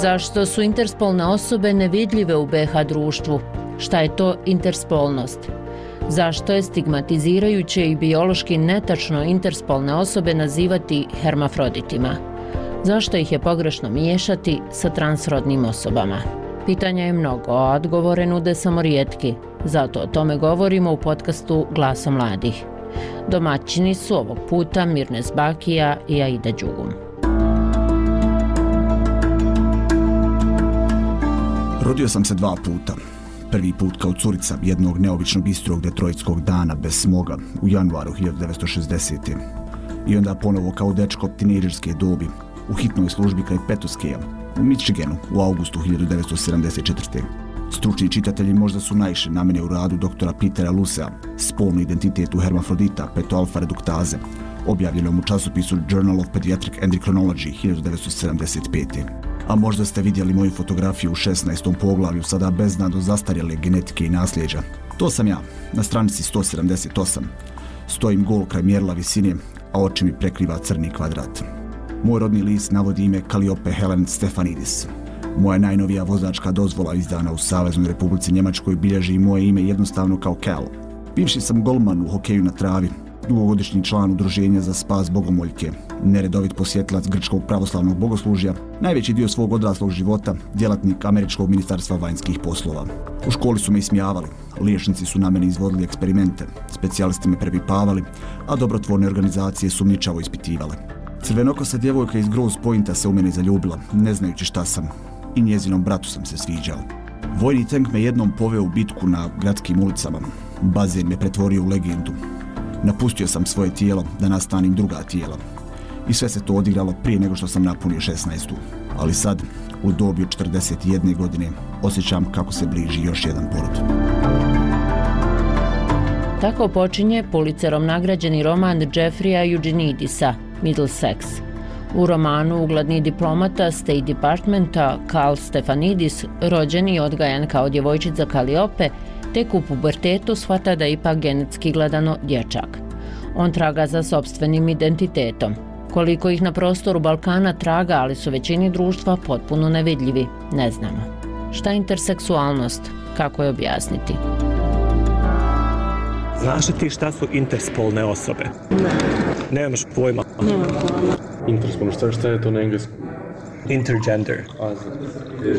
Zašto su interspolne osobe nevidljive u BiH društvu? Šta je to interspolnost? Zašto je stigmatizirajuće i biološki netačno interspolne osobe nazivati hermafroditima? Zašto ih je pogrešno miješati sa transrodnim osobama? Pitanja je mnogo, a odgovore nude samo rijetki. Zato o tome govorimo u podcastu Glasom mladih. Domaćini su ovog puta Mirnes Bakija i Aida Đugum. Rodio sam se 2 puta. Prvi put kao curica jednog neobično bistrog detroitskog dana bez smoga u januaru 1960. I onda ponovo kao dečko tinejdžerske dobi u hitnoj službi kraj Petoskeja u Michiganu u augustu 1974. Stručni čitatelji možda su naišli na mene u radu doktora Petera Lusea, Spolni identitet u hermafrodita petoalfa reduktaze, objavljenom u časopisu Journal of Pediatric Endocrinology 1975. A možda ste vidjeli moju fotografiju u 16. poglavlju sada beznado zastarjele genetike i nasljeđa. To sam ja, na stranici 178. Stojim gol kraj mjerila visine, a oči mi prekriva crni kvadrat. Moj rodni list navodi ime Kalliope Helen Stefanidis. Moja najnovija vozačka dozvola izdana u Saveznoj Republici Njemačkoj bilježi moje ime jednostavno kao Cal. Bivši sam golman u hokeju na travi, dugogodišnji član udruženja za spas bogomoljke, neredovit posjetilac grčkog pravoslavnog bogoslužja, najveći dio svog odraslog života djelatnik Američkog ministarstva vanjskih poslova. U školi su me ismijavali, liječnici su na mene izvodili eksperimente, specijalisti me prepipavali, a dobrotvorne organizacije sumnjičavo ispitivale. Crvenokosa djevojka iz Grosse Pointa se u mene zaljubila, ne znajući šta sam, i njezinom bratu sam se sviđao. Vojni tank me jednom poveo u bitku na gradskim ulicama, bazen me pretvorio u legendu. Napustio sam svoje tijelo da nastanim druga tijela. I sve se to odigralo prije nego što sam napunio 16. Ali sad, u dobi od 41 godine, osjećam kako se bliži još jedan porod. Tako počinje Pulitzerom nagrađeni roman Jeffreya Eugenidisa, Middlesex. U romanu ugledni diplomata State Departmenta Cal Stefanidis, rođen i odgajan kao djevojčica Kalliope, tek u pubertetu shvata da je ipak genetski gledano dječak. On traga za sopstvenim identitetom. Koliko ih na prostoru Balkana traga, ali su većini društva potpuno nevidljivi, ne znamo. Šta je interseksualnost? Kako je objasniti? Znaš li ti šta su interspolne osobe? Ne. Nemaš pojma? Nemam pojma. Interspolno, šta je to na engleskom? Intergender.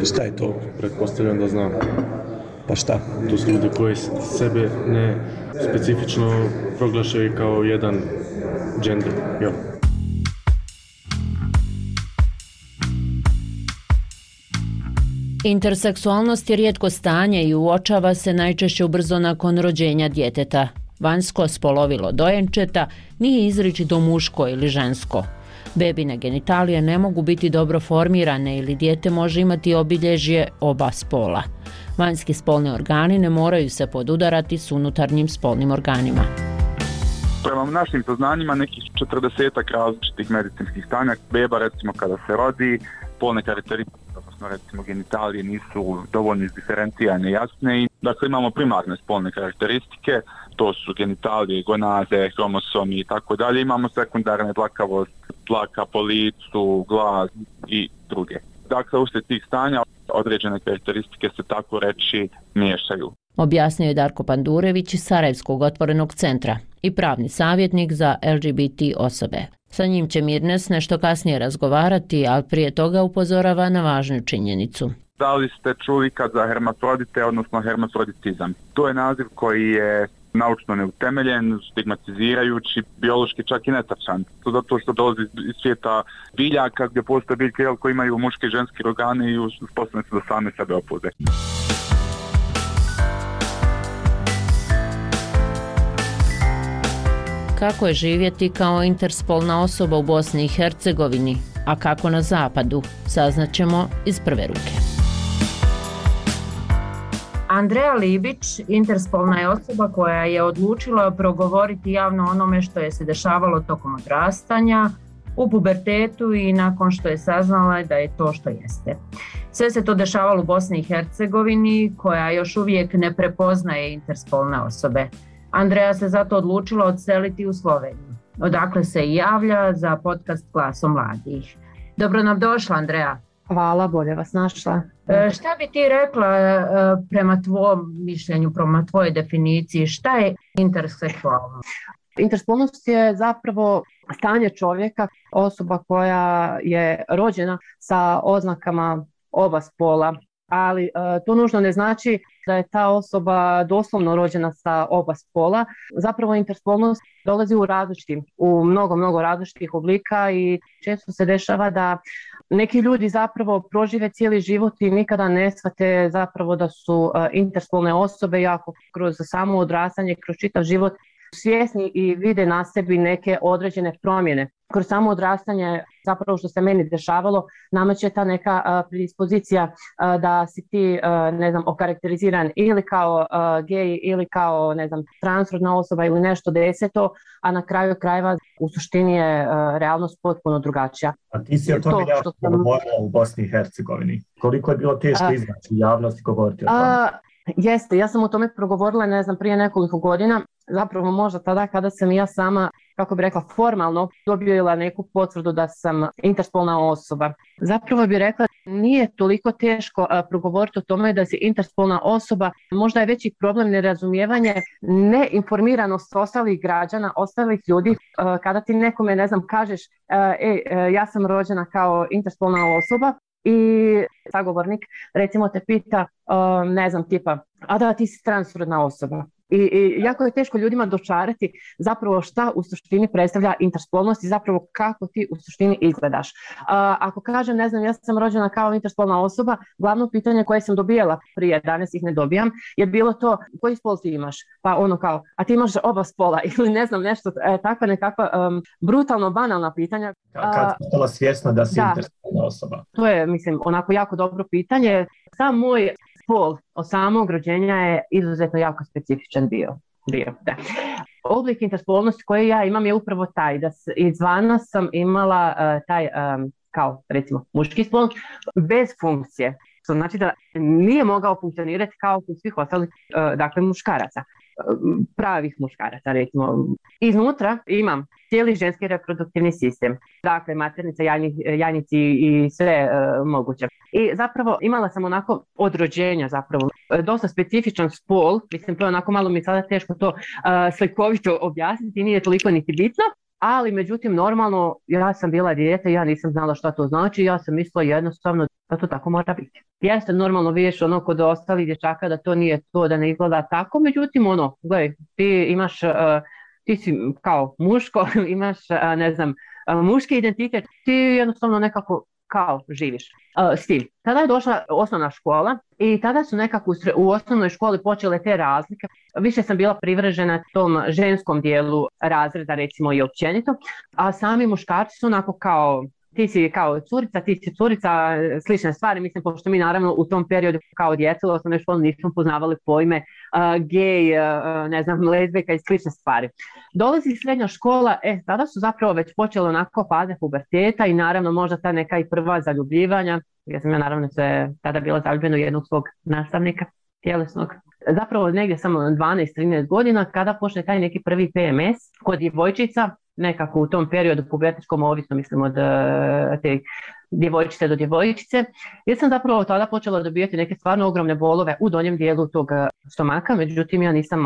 Šta je to? Pretpostavljam da znam. Pa šta? To su ljudi koji sebe ne specifično proglašaju kao jedan gender. Jo. Interseksualnost je rijetko stanje i uočava se najčešće ubrzo nakon rođenja djeteta. Vanjsko spolovilo dojenčeta nije izričito muško ili žensko. Bebine genitalije ne mogu biti dobro formirane ili dijete može imati obilježje oba spola. Vanjski spolni organi ne moraju se podudarati s unutarnjim spolnim organima. Prema našim saznanjima nekih 40 različitih medicinskih stanja. Beba recimo kada se rodi, spolne karakteristike, odnosno recimo genitalije nisu dovoljno izdiferencijane, jasne. I dakle imamo primarne spolne karakteristike, to su genitalije, gonaze, hromosomi i tako dalje. Imamo sekundarne dlakavost, dlaka po licu, glas i druge. Dakle, uslijed tih stanja određene karakteristike se tako reći miješaju. Objasnio je Darko Pandurević iz Sarajevskog otvorenog centra i pravni savjetnik za LGBT osobe. Sa njim će Mirnes nešto kasnije razgovarati, ali prije toga upozorava na važnu činjenicu. Da li ste čuli kad za hermafrodite, odnosno hermafroditizam? To je naziv koji je naučno neutemeljen, stigmatizirajući, biološki čak i netačan. To zato što dolazi iz svijeta biljaka gdje postoje biljke koji imaju muške i ženske organe i uspostavljene su da same sebe oploze. Kako je živjeti kao interspolna osoba u Bosni i Hercegovini, a kako na zapadu, saznaćemo iz prve ruke. Andreja Libić, interspolna je osoba koja je odlučila progovoriti javno onome što je se dešavalo tokom odrastanja, u pubertetu i nakon što je saznala da je to što jeste. Sve se to dešavalo u Bosni i Hercegovini, koja još uvijek ne prepoznaje interspolne osobe. Andreja se zato odlučila odseliti u Sloveniju, odakle se i javlja za podcast Glasom mladih. Dobro nam došla, Andreja. Hvala, bolje vas našla. Šta bi ti rekla prema tvom mišljenju, prema tvojoj definiciji, šta je interseksualnost? Interspolnost je zapravo stanje čovjeka, osoba koja je rođena sa oznakama oba spola, ali to nužno ne znači da je ta osoba doslovno rođena sa oba spola. Zapravo interspolnost dolazi u mnogo različitih oblika i često se dešava da neki ljudi zapravo prožive cijeli život i nikada ne shvate zapravo da su interspolne osobe, jako kroz samo odrastanje, kroz čitav život svjesni i vide na sebi neke određene promjene. Kroz samo odrastanje, zapravo što se meni dešavalo, nameće ta neka predispozicija da si ti, okarakteriziran ili kao gej ili kao, transrodna osoba ili nešto deseto, a na kraju krajeva u suštini je realnost potpuno drugačija. A ti si o tome jako govorila u Bosni i Hercegovini. Koliko je bilo teško izaći u javnost i govoriti o tome? Jeste, ja sam o tome progovorila, prije nekoliko godina, zapravo možda tada kada sam ja sama, kako bi rekla, formalno dobila neku potvrdu da sam interspolna osoba. Zapravo bi rekla, nije toliko teško progovoriti o tome da si interspolna osoba, možda je veći problem nerazumijevanje, neinformiranost ostalih građana, ostalih ljudi. Kada ti nekome, kažeš, ja sam rođena kao interspolna osoba, i sagovornik recimo te pita, tipa, a da ti si transrodna osoba. I jako je teško ljudima dočarati zapravo šta u suštini predstavlja interspolnost i zapravo kako ti u suštini izgledaš. Ako kažem, ja sam rođena kao interspolna osoba, glavno pitanje koje sam dobijala prije, danas ih ne dobijam, je bilo to, koji spol ti imaš? Pa ono kao, a ti imaš oba spola ili nešto, takva nekakva brutalno banalna pitanja. Kad si bila svjesna da si interspolna osoba? To je, onako jako dobro pitanje. Sam moj spol od samog rođenja je izuzetno jako specifičan bio. Da. Oblik interspolnosti koji ja imam je upravo taj, da izvana sam imala taj, kao recimo muški spol, bez funkcije. To znači da nije mogao funkcionirati kao kod svih ostalih, muškaraca. Pravih muškaraca, recimo. Iznutra imam cijeli ženski reproduktivni sistem, dakle maternica, jajnici i sve moguće. I zapravo imala sam onako od rođenja zapravo dosta specifičan spol, to je onako malo mi sada teško to slikovito objasniti, nije toliko niti bitno, ali međutim normalno ja sam bila dijete, ja nisam znala šta to znači, ja sam mislila jednostavno da to tako mora biti. Jeste normalno vidiš kod ostalih dječaka da to nije to, da ne izgleda tako, međutim gledaj, ti si kao muško, imaš muški identitet, ti jednostavno nekako kao živiš s tim. Tada je došla osnovna škola i tada su nekako u osnovnoj školi počele te razlike. Više sam bila privržena tom ženskom dijelu razreda, recimo i općenito, a sami muškarci su onako kao ti si kao curica, ti si curica, slične stvari, pošto mi naravno u tom periodu kao djeca u osnovnoj školi nismo poznavali pojme gej, lezbijka i slične stvari. Dolazi srednja škola, tada su zapravo već počele onako faze puberteta i naravno možda ta neka i prva zaljubljivanja. Ja sam naravno tada bila zaljubljena u jednog svog nastavnika tjelesnog. Zapravo negdje samo 12-13 godina kada počne taj neki prvi PMS kod djevojčica, nekako u tom periodu pubertetskom, ovisno od te djevojčice do djevojčice. Ja sam zapravo tada počela dobijati neke stvarno ogromne bolove u donjem dijelu tog stomaka, međutim ja nisam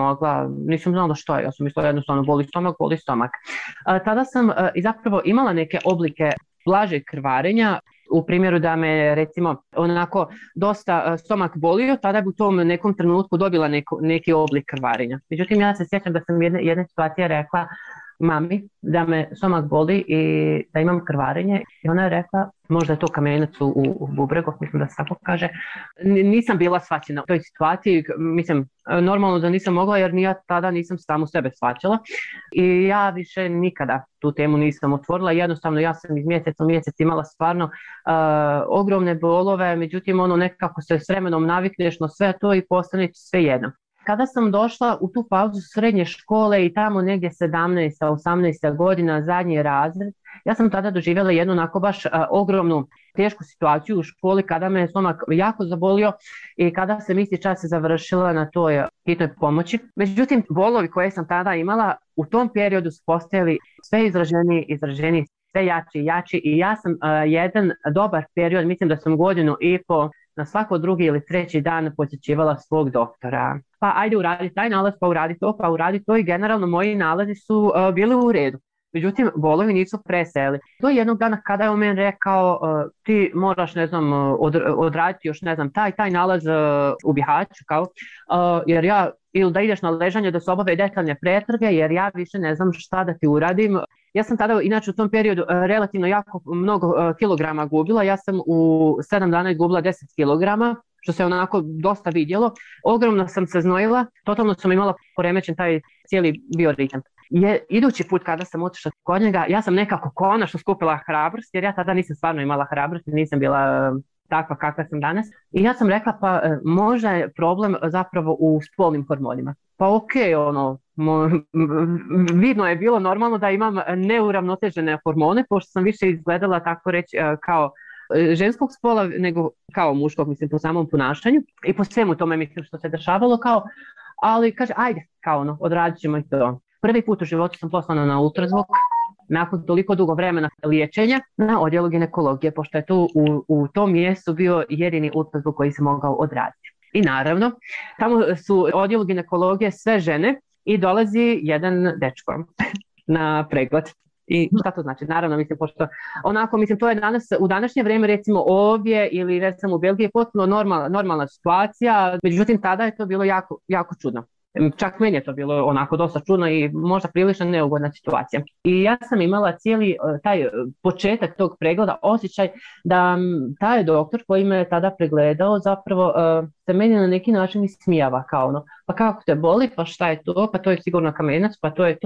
znala što je, ja sam mislila jednostavno boli stomak. Tada sam i zapravo imala neke oblike blažeg krvarenja, u primjeru da me recimo onako dosta stomak bolio, tada bi u tom nekom trenutku dobila neki oblik krvarenja. Međutim ja se sjećam da sam jedne situacije rekla mami da me stomak boli i da imam krvarenje i ona je rekla možda je to kamenac u bubregu, mislim da se tako kaže. Nisam bila shvaćena u toj situaciji, normalno da nisam mogla jer ja tada nisam samu sebe shvaćala i ja više nikada tu temu nisam otvorila, jednostavno ja sam iz mjeseca u mjesec imala stvarno ogromne bolove, međutim nekako se s vremenom navikneš na sve to i postane sve jedno. Kada sam došla u tu pauzu srednje škole i tamo negdje 17-18 godina, zadnji razred, ja sam tada doživjela jednu onako baš ogromnu tešku situaciju u školi kada me stomak jako zabolio i kada sam isti čas završila na toj hitnoj pomoći. Međutim, bolovi koje sam tada imala u tom periodu su postajali sve izraženiji sve jači i jači i ja sam jedan dobar period, mislim da sam godinu i po na svako drugi ili treći dan posjećivala svog doktora. Pa ajde uradi taj nalaz, pa uradi to i generalno moji nalazi su bili u redu. Međutim, bolovi nisu preseli. To je jednog dana kada je on meni rekao ti moraš, ne znam, odraditi još, ne znam, taj nalaz u Bihaću, kao, jer ja, ili da ideš na ležanje da se obave detaljne pretrage, jer ja više ne znam šta da ti uradim. Ja sam tada, inače u tom periodu, relativno jako mnogo kilograma gubila. Ja sam u 7 dana izgubila 10 kilograma, što se onako dosta vidjelo. Ogromno sam se znojila, totalno sam imala poremećen taj cijeli bioritam. Idući put kada sam otišla kod njega, ja sam nekako konačno skupila hrabrost, jer ja tada nisam stvarno imala hrabrost, nisam bila takva kakva sam danas. I ja sam rekla, pa možda je problem zapravo u spolnim hormonima. Pa okej, vidno je bilo normalno da imam neuravnotežene hormone, pošto sam više izgledala, tako reći, kao ženskog spola nego kao muškog, mislim, po samom ponašanju i po svemu tome, mislim, što se dešavalo, kao, ali kaže, ajde, kao odradit ćemo i to. Prvi put u životu sam poslana na ultrazvuk, nakon toliko dugo vremena liječenja, na odjelu ginekologije, pošto je tu u tom mjestu bio jedini ultrazvuk koji se mogao odraditi. I naravno, tamo su odjelu ginekologije sve žene i dolazi jedan dečko na pregled. I šta to znači? Naravno, mislim, pošto onako, mislim, to je danas, u današnje vrijeme, recimo ovdje ili recimo u Belgiji, potpuno normalna situacija, međutim tada je to bilo jako, jako čudno. Čak meni je to bilo onako dosta čudno i možda prilično neugodna situacija. I ja sam imala cijeli taj početak tog pregleda, osjećaj da taj doktor koji me je tada pregledao zapravo se meni na neki način ismijava, kao pa kako te boli, pa šta je to, pa to je sigurno kamenac, pa to je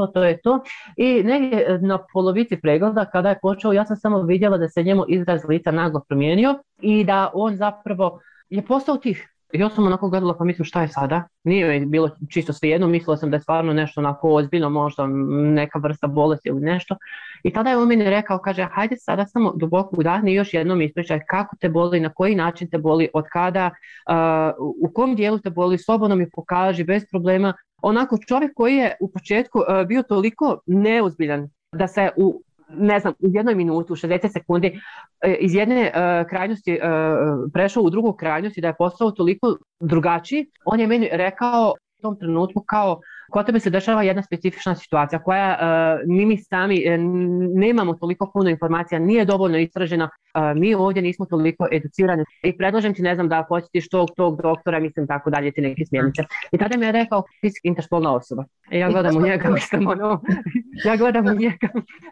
to. I negdje na polovici pregleda kada je počeo, ja sam samo vidjela da se njemu izraz lica naglo promijenio i da on zapravo je postao tih. Ja sam onako gledala, pa mislim, šta je sada? Nije bilo čisto svejedno, mislila sam da je stvarno nešto onako ozbiljno, možda neka vrsta bolesti ili nešto. I tada je on meni rekao, kaže, hajde sada samo duboko udahni i još jednom ispričaj kako te boli, na koji način te boli, od kada, u kom dijelu te boli, slobodno mi pokaži, bez problema. Onako čovjek koji je u početku bio toliko neozbiljan da se u jednoj minutu, 60 sekundi iz jedne krajnosti prešao u drugu krajnost i da je postao toliko drugačiji, on je meni rekao u tom trenutku kao kod tebe se dešava jedna specifična situacija koja mi sami nemamo toliko puno informacija, nije dovoljno istražena, mi ovdje nismo toliko educirani i predlažem ti, ne znam, da posjetiš tog doktora, mislim, tako dalje, ti neke smjernice. I tada mi je rekao, ti si interspolna osoba. Ja gledam u njega, mislim, ja gledam u njega,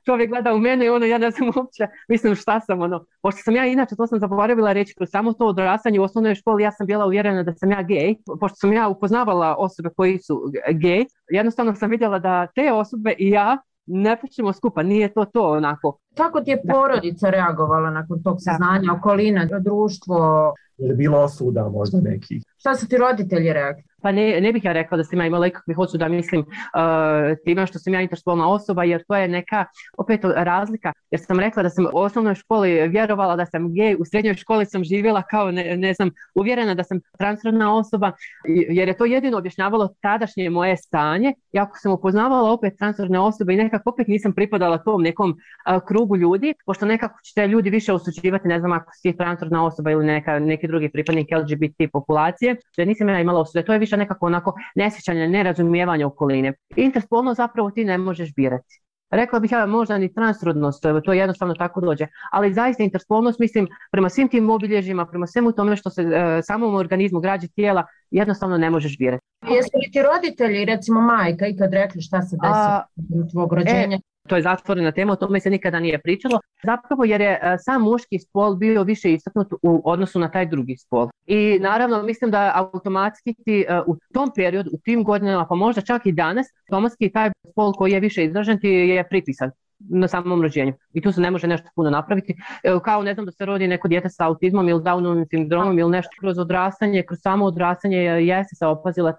čovjek gleda u mene i ja ne znam uopće, mislim, šta sam, pošto sam ja, inače, to sam zaboravila reći, kroz samo to odrastanje u osnovnoj školi, ja sam bila uvjerena da sam ja gej, pošto sam ja upoznavala osobe koji su gej, jednostavno sam vidjela da te osobe i ja ne pričamo skupa, nije to onako. Kako ti je porodica reagovala nakon tog saznanja, okolina, društvo? Je li bilo osuda možda nekih? Šta su ti roditelji rekli? Pa ne bih ja rekla da sam ja imala ikakvih osuda, mislim, time što sam ja interspolna osoba, jer to je neka opet razlika, jer sam rekla da sam u osnovnoj školi vjerovala da sam gej, u srednjoj školi sam živjela kao, ne znam, uvjerena da sam transrodna osoba, jer je to jedino objašnjavalo tadašnje moje stanje, iako sam upoznavala opet transrodne osobe i nekako opet nisam pripadala tom nekom krugu ljudi, pošto nekako će te ljudi više osuđivati, ne znam, ako si transrodna osoba ili neki drugi pripadnik LGBT populacije, da nisam ja imala osude, to je više nekako onako nesjećanje, nerazumijevanje okoline. Interspolno zapravo ti ne možeš birati. Rekla bih ja možda ni transrodnost, to jednostavno tako dođe, ali zaista interspolnost, mislim, prema svim tim obilježjima, prema svemu tome što se samom organizmu građe tijela, jednostavno ne možeš birati. Jesu li ti roditelji, recimo majka, ikad rekli šta se desilo u tvog rođenja? To je zatvorena tema, o tome se nikada nije pričalo, zapravo jer je sam muški spol bio više istaknut u odnosu na taj drugi spol. I naravno mislim da automatski ti u tom periodu, u tim godinama, pa možda čak i danas, automatski taj spol koji je više izražen ti je pripisan na samom rođenju. I tu se ne može nešto puno napraviti. Kao ne znam da se rodi neko dijete sa autizmom ili Downovim sindromom ili nešto kroz odrastanje, kroz samo odrastanje jeste se opazila,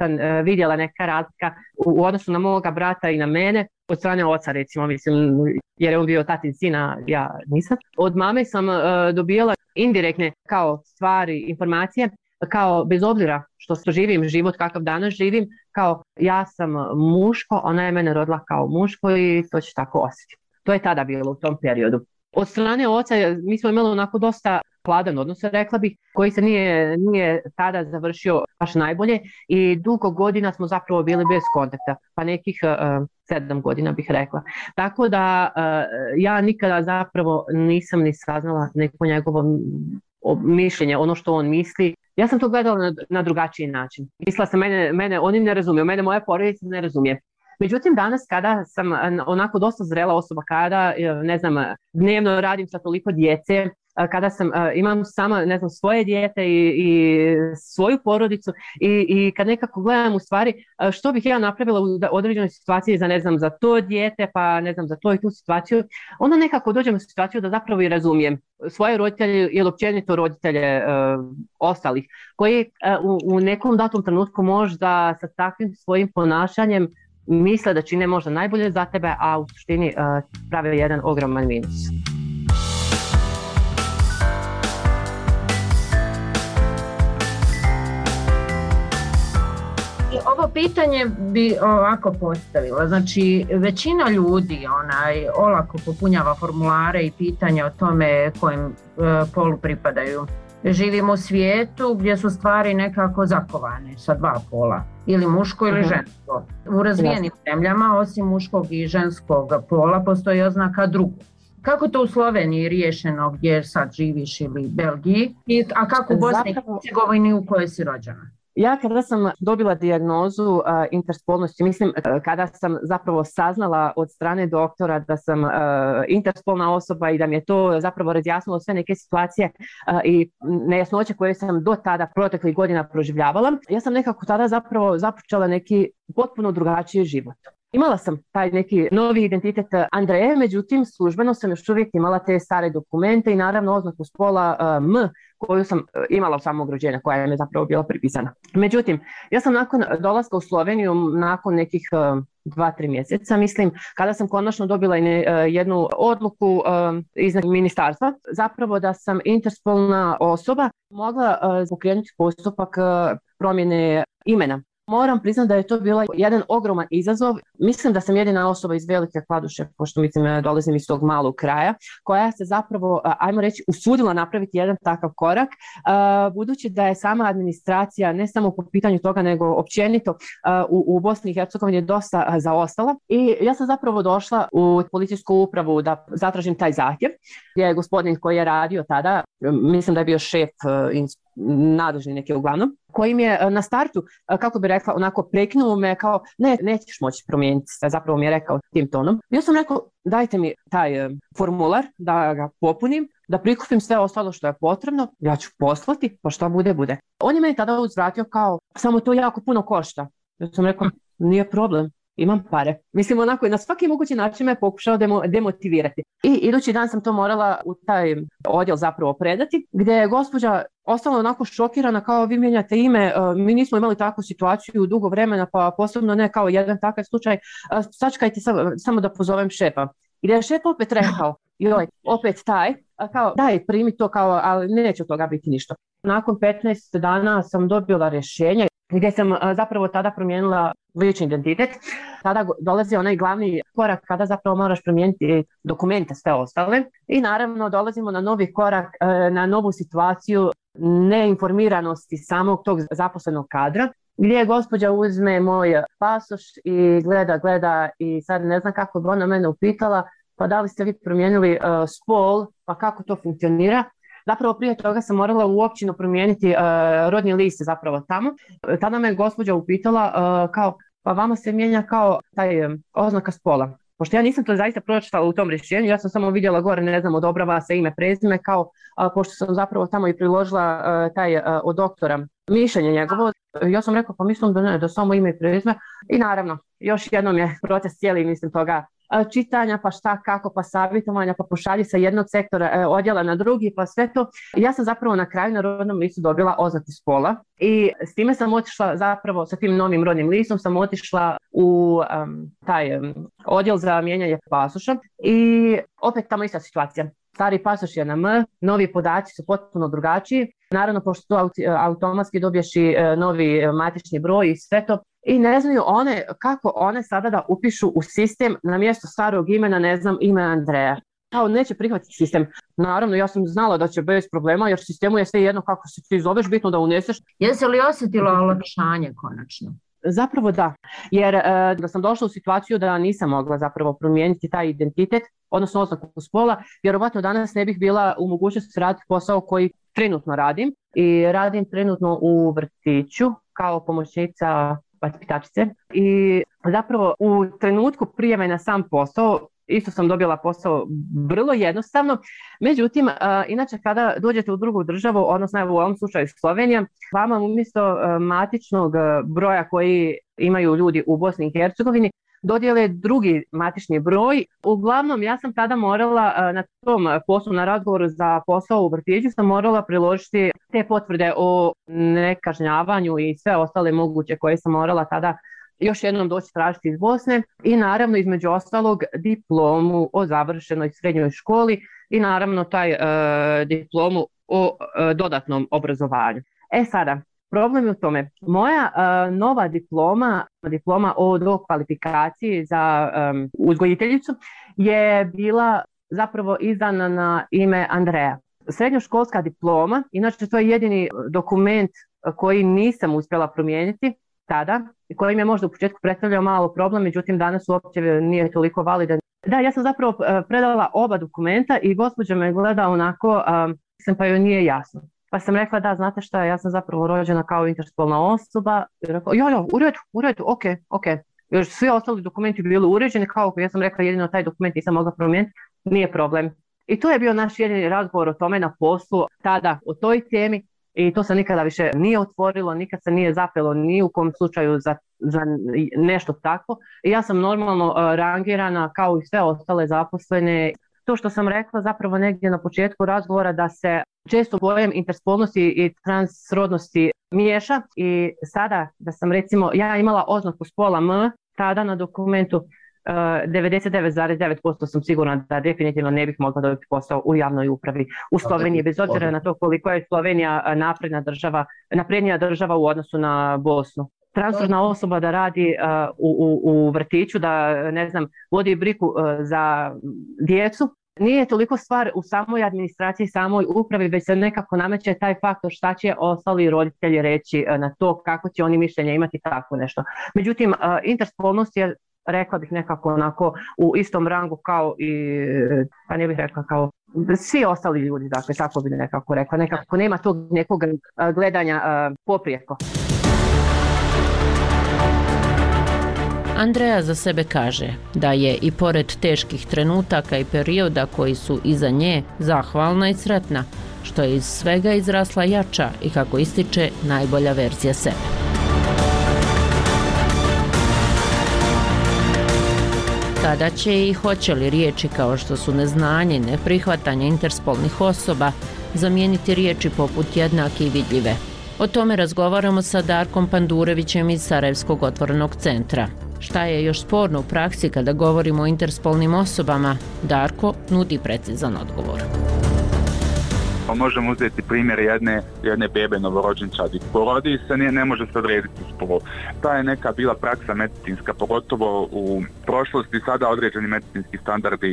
vidjela neka razlika u odnosu na moga brata i na mene, od strane oca recimo, mislim, jer je on bio tatin sina, ja nisam. Od mame sam dobijala indirektne kao stvari, informacije, kao bez obzira što živim život kakav danas živim, kao ja sam muško, ona je mene rodila kao muško i to će tako osjetiti. To je tada bilo u tom periodu. Od strane oca mi smo imali onako dosta hladan odnos, rekla bih, koji se nije tada završio baš najbolje i dugo godina smo zapravo bili bez kontakta, pa nekih 7 godina bih rekla. Tako da ja nikada zapravo nisam ni saznala neko njegovo mišljenje, ono što on misli. Ja sam to gledala na drugačiji način. Mislila sam, mene oni ne razumiju, mene moja porodica ne razumije. Međutim, danas kada sam onako dosta zrela osoba, kada, ne znam, dnevno radim sa toliko djece, kada imam sama, ne znam, svoje dijete i svoju porodicu i kad nekako gledam u stvari što bih ja napravila u određenoj situaciji za, ne znam, za to dijete, pa ne znam, za to i tu situaciju, onda nekako dođem u situaciju da zapravo i razumijem svoje roditelje ili općenito roditelje ostalih, koji u nekom datom trenutku možda sa takvim svojim ponašanjem misle da čine možda najbolje za tebe, a u suštini prave jedan ogroman minus. Ovo pitanje bi ovako postavila. Znači, većina ljudi olako popunjava formulare i pitanja o tome kojem polu pripadaju. Živimo u svijetu gdje su stvari nekako zakovane sa dva pola, ili muško ili žensko. U razvijenim zemljama, osim muškog i ženskog pola, postoji oznaka drugo. Kako to u Sloveniji riješeno gdje sad živiš ili Belgiji, a kako u Bosni i Hercegovini u kojoj si rođena? Ja kada sam dobila dijagnozu interspolnosti, mislim kada sam zapravo saznala od strane doktora da sam interspolna osoba i da mi je to zapravo razjasnilo sve neke situacije i nejasnoće koje sam do tada proteklih godina proživljavala, ja sam nekako tada zapravo započela neki potpuno drugačiji život. Imala sam taj neki novi identitet Andreje, međutim službeno sam još uvijek imala te stare dokumente i naravno oznaku spola M koju sam imala u samog rođenja, koja je zapravo bila pripisana. Međutim, ja sam nakon dolaska u Sloveniju, nakon nekih 2-3 mjeseca, mislim, kada sam konačno dobila jednu odluku iz ministarstva, zapravo da sam interspolna osoba, mogla pokrenuti postupak promjene imena. Moram priznati da je to bila jedan ogroman izazov. Mislim da sam jedina osoba iz Velike Kladuše, pošto mislim dolazim iz tog malog kraja, koja se zapravo, ajmo reći, usudila napraviti jedan takav korak, budući da je sama administracija, ne samo po pitanju toga, nego općenito u Bosni i Hercegovini dosta zaostala. I ja sam zapravo došla u policijsku upravu da zatražim taj zahtjev, gdje je gospodin koji je radio tada, mislim da je bio šef nadležni neki uglavnom, koji mi je na startu, kako bi rekla, onako prekinuo me kao, nećeš moći promijeniti, zapravo mi je rekao tim tonom. Ja sam rekao, dajte mi taj formular da ga popunim, da prikupim sve ostalo što je potrebno, ja ću poslati, pa što bude. On je meni tada uzvratio kao, samo to jako puno košta. Ja sam rekao, nije problem, imam pare. Mislim, onako i na svaki mogući način me pokušao demotivirati. I idući dan sam to morala u taj odjel zapravo predati, gdje je gospođa ostala onako šokirana, kao vi mijenjate ime, mi nismo imali takvu situaciju dugo vremena, pa posebno ne kao jedan takav slučaj, sačekajte samo da pozovem šefa. I da je šef opet rekao, opet taj, kao daj primi to, kao, ali neće od toga biti ništa. Nakon 15 dana sam dobila rješenje gdje sam zapravo tada promijenila lični identitet. Tada dolazi onaj glavni korak kada zapravo moraš promijeniti dokumente, sve ostale. I naravno dolazimo na novi korak, na novu situaciju neinformiranosti samog tog zaposlenog kadra, gdje gospođa uzme moj pasoš i gleda i sad ne znam kako bi ona mene upitala, pa da li ste vi promijenili spol, pa kako to funkcionira. Zapravo prije toga sam morala u općinu promijeniti rodni list zapravo tamo. Tada me gospođa upitala kao, pa vama se mijenja kao taj oznaka spola. Pošto ja nisam to zaista pročitala u tom rješenju, ja sam samo vidjela gore, ne znam, odobrava se ime, prezime, kao pošto sam zapravo tamo i priložila taj od doktora mišljenje njegovo. Ja sam rekla, pa mislim da ne, da samo ime i prezime. I naravno, još jednom je proces cijeli, mislim, toga čitanja, pa šta, kako, pa savjetovanja, pa pošalji sa jednog sektora odjela na drugi, pa sve to. Ja sam zapravo na kraju na rodnom listu dobila oznaku spola i s time sam otišla zapravo, sa tim novim rodnim listom sam otišla u taj odjel za mijenjanje pasoša i opet tamo ista situacija. Stari pasoš je na M, novi podaci su potpuno drugačiji. Naravno, pošto to automatski dobiješ i novi matični broj i sve to. i ne znaju one kako one sada da upišu u sistem na mjesto starog imena, ne znam, ime Andreja. Kao neće prihvatiti sistem. Naravno, ja sam znala da će bez problema, jer sistemu je sve jedno kako se ti zoveš, bitno da uneseš. Jesi li osjetila olakšanje konačno? Zapravo da, jer da sam došla u situaciju da nisam mogla zapravo promijeniti taj identitet, odnosno oznaku spola, vjerovatno danas ne bih bila u mogućnosti raditi posao koji trenutno radim. I radim trenutno u vrtiću kao pomoćnica vaspitačice. I zapravo u trenutku prijave na sam posao isto sam dobila posao vrlo jednostavno. Međutim, inače kada dođete u drugu državu, odnosno u ovom slučaju Slovenija, vama umjesto matičnog broja koji imaju ljudi u Bosni i Hercegovini, dodijele drugi matični broj. Uglavnom, ja sam tada morala na tom poslu, na razgovoru za posao u vrtiću, sam morala priložiti te potvrde o nekažnjavanju i sve ostale moguće koje sam morala tada još jednom doći tražiti iz Bosne i naravno između ostalog diplomu o završenoj srednjoj školi i naravno taj diplomu o dodatnom obrazovanju. Sada, problem je u tome, moja nova diploma o dokvalifikaciji za uzgojiteljicu je bila zapravo izdana na ime Andreja. Srednjoškolska diploma, inače to je jedini dokument koji nisam uspjela promijeniti tada, koji mi je možda u početku predstavljao malo problem, međutim danas uopće nije toliko validan. Da, ja sam zapravo predala oba dokumenta i gospođa me gleda onako, pa joj nije jasno. Pa sam rekla da, znate šta, ja sam zapravo rođena kao interspolna osoba. I rekla, u redu, ok. Još svi ostali dokumenti bili uređeni, kao ja sam rekla jedino taj dokument nisam mogla promijeniti, nije problem. I to je bio naš jedini razgovor o tome na poslu, tada o toj temi. I to se nikada više nije otvorilo, nikad se nije zapelo ni u kom slučaju za nešto takvo. I ja sam normalno rangirana kao i sve ostale zaposlene. To što sam rekla zapravo negdje na početku razgovora da se često pojam interspolnosti i transrodnosti miješa i sada da sam recimo, ja imala oznaku spola M, tada na dokumentu 99,9% sam sigurna da definitivno ne bih mogla dobiti posao u javnoj upravi u Sloveniji, bez obzira na to koliko je Slovenija naprednija država u odnosu na Bosnu. Transrodna osoba da radi u vrtiću, da ne znam, vodi brigu za djecu, nije toliko stvar u samoj administraciji, samoj upravi, već se nekako nameće taj faktor šta će ostali roditelji reći na to, kako će oni mišljenje imati, tako nešto. Međutim, interspolnost je, rekla bih nekako onako u istom rangu kao i, pa ne bih rekla kao svi ostali ljudi, dakle tako bi nekako rekla, nekako nema tog nekog gledanja poprijeko. Andreja za sebe kaže da je i pored teških trenutaka i perioda koji su iza nje zahvalna i sretna, što je iz svega izrasla jača i kako ističe najbolja verzija sebe. Kada će i hoće li riječi kao što su neznanje i neprihvatanje interspolnih osoba zamijeniti riječi poput jednake i vidljive? O tome razgovaramo sa Darkom Pandurevićem iz Sarajevskog otvorenog centra. Šta je još sporno u praksi kada govorimo o interspolnim osobama? Darko nudi precizan odgovor. Možemo uzeti primjer jedne bebe novorođenčadi. Porodi se, ne može se odrediti spol. Ta je neka bila praksa medicinska, pogotovo u prošlosti. Sada određeni medicinski standardi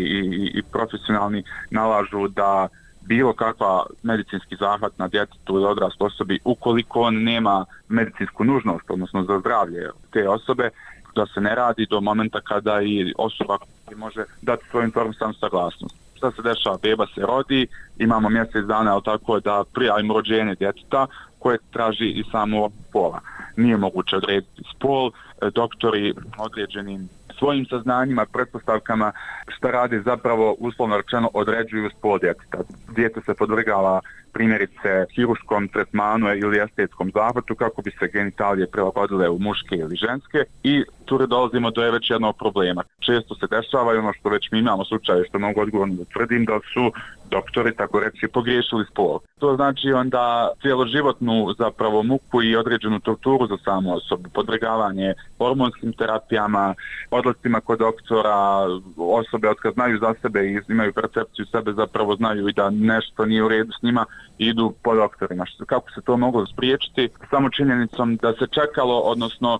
i profesionalni nalažu da bilo kakva medicinski zahvat na djetetu ili odrasloj osobi, ukoliko on nema medicinsku nužnost, odnosno za zdravlje te osobe, da se ne radi do momenta kada i osoba može dati svoju informisanu saglasnost. Šta se dešava? Beba se rodi, imamo mjesec dana, ali tako da prijavimo rođenje djeteta koje traži i samo pola. Nije moguće odrediti spol, doktori određenim svojim saznanjima, pretpostavkama šta radi zapravo uslovno rečeno određuju spol djeteta. Dijete se podvrgava primjerice hiruškom tretmanu ili estetskom zahvatu kako bi se genitalije prilagodile u muške ili ženske i tu dolazimo do već jednog problema. Često se dešava i ono što već mi imamo slučaje, što mogu odgovorno da tvrdim, da su doktori, tako reći, pogriješili spol. To znači onda cijeloživotnu zapravo muku i određenu torturu za samu osobu, podvrgavanje hormonskim terapijama, odlascima kod doktora, osobe od kad znaju za sebe i imaju percepciju sebe, zapravo znaju i da nešto nije u redu s njima, idu po doktorima. Kako se to moglo spriječiti? Samo činjenicom da se čekalo, odnosno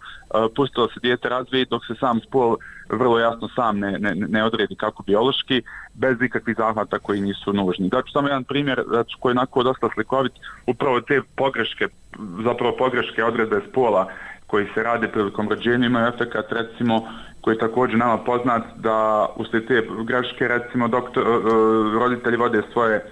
pustilo se dijete razvije dok se sam spol vrlo jasno sam ne odredi kako biološki, bez ikakvih zahvata koji nisu nužni. Znači, samo jedan primjer koji je onako dosta slikovit, upravo te pogreške odredbe spola koji se rade prilikom rođenja imaju efekat, recimo, koji je također nama poznat, da uslijed te greške, recimo, roditelji vode svoje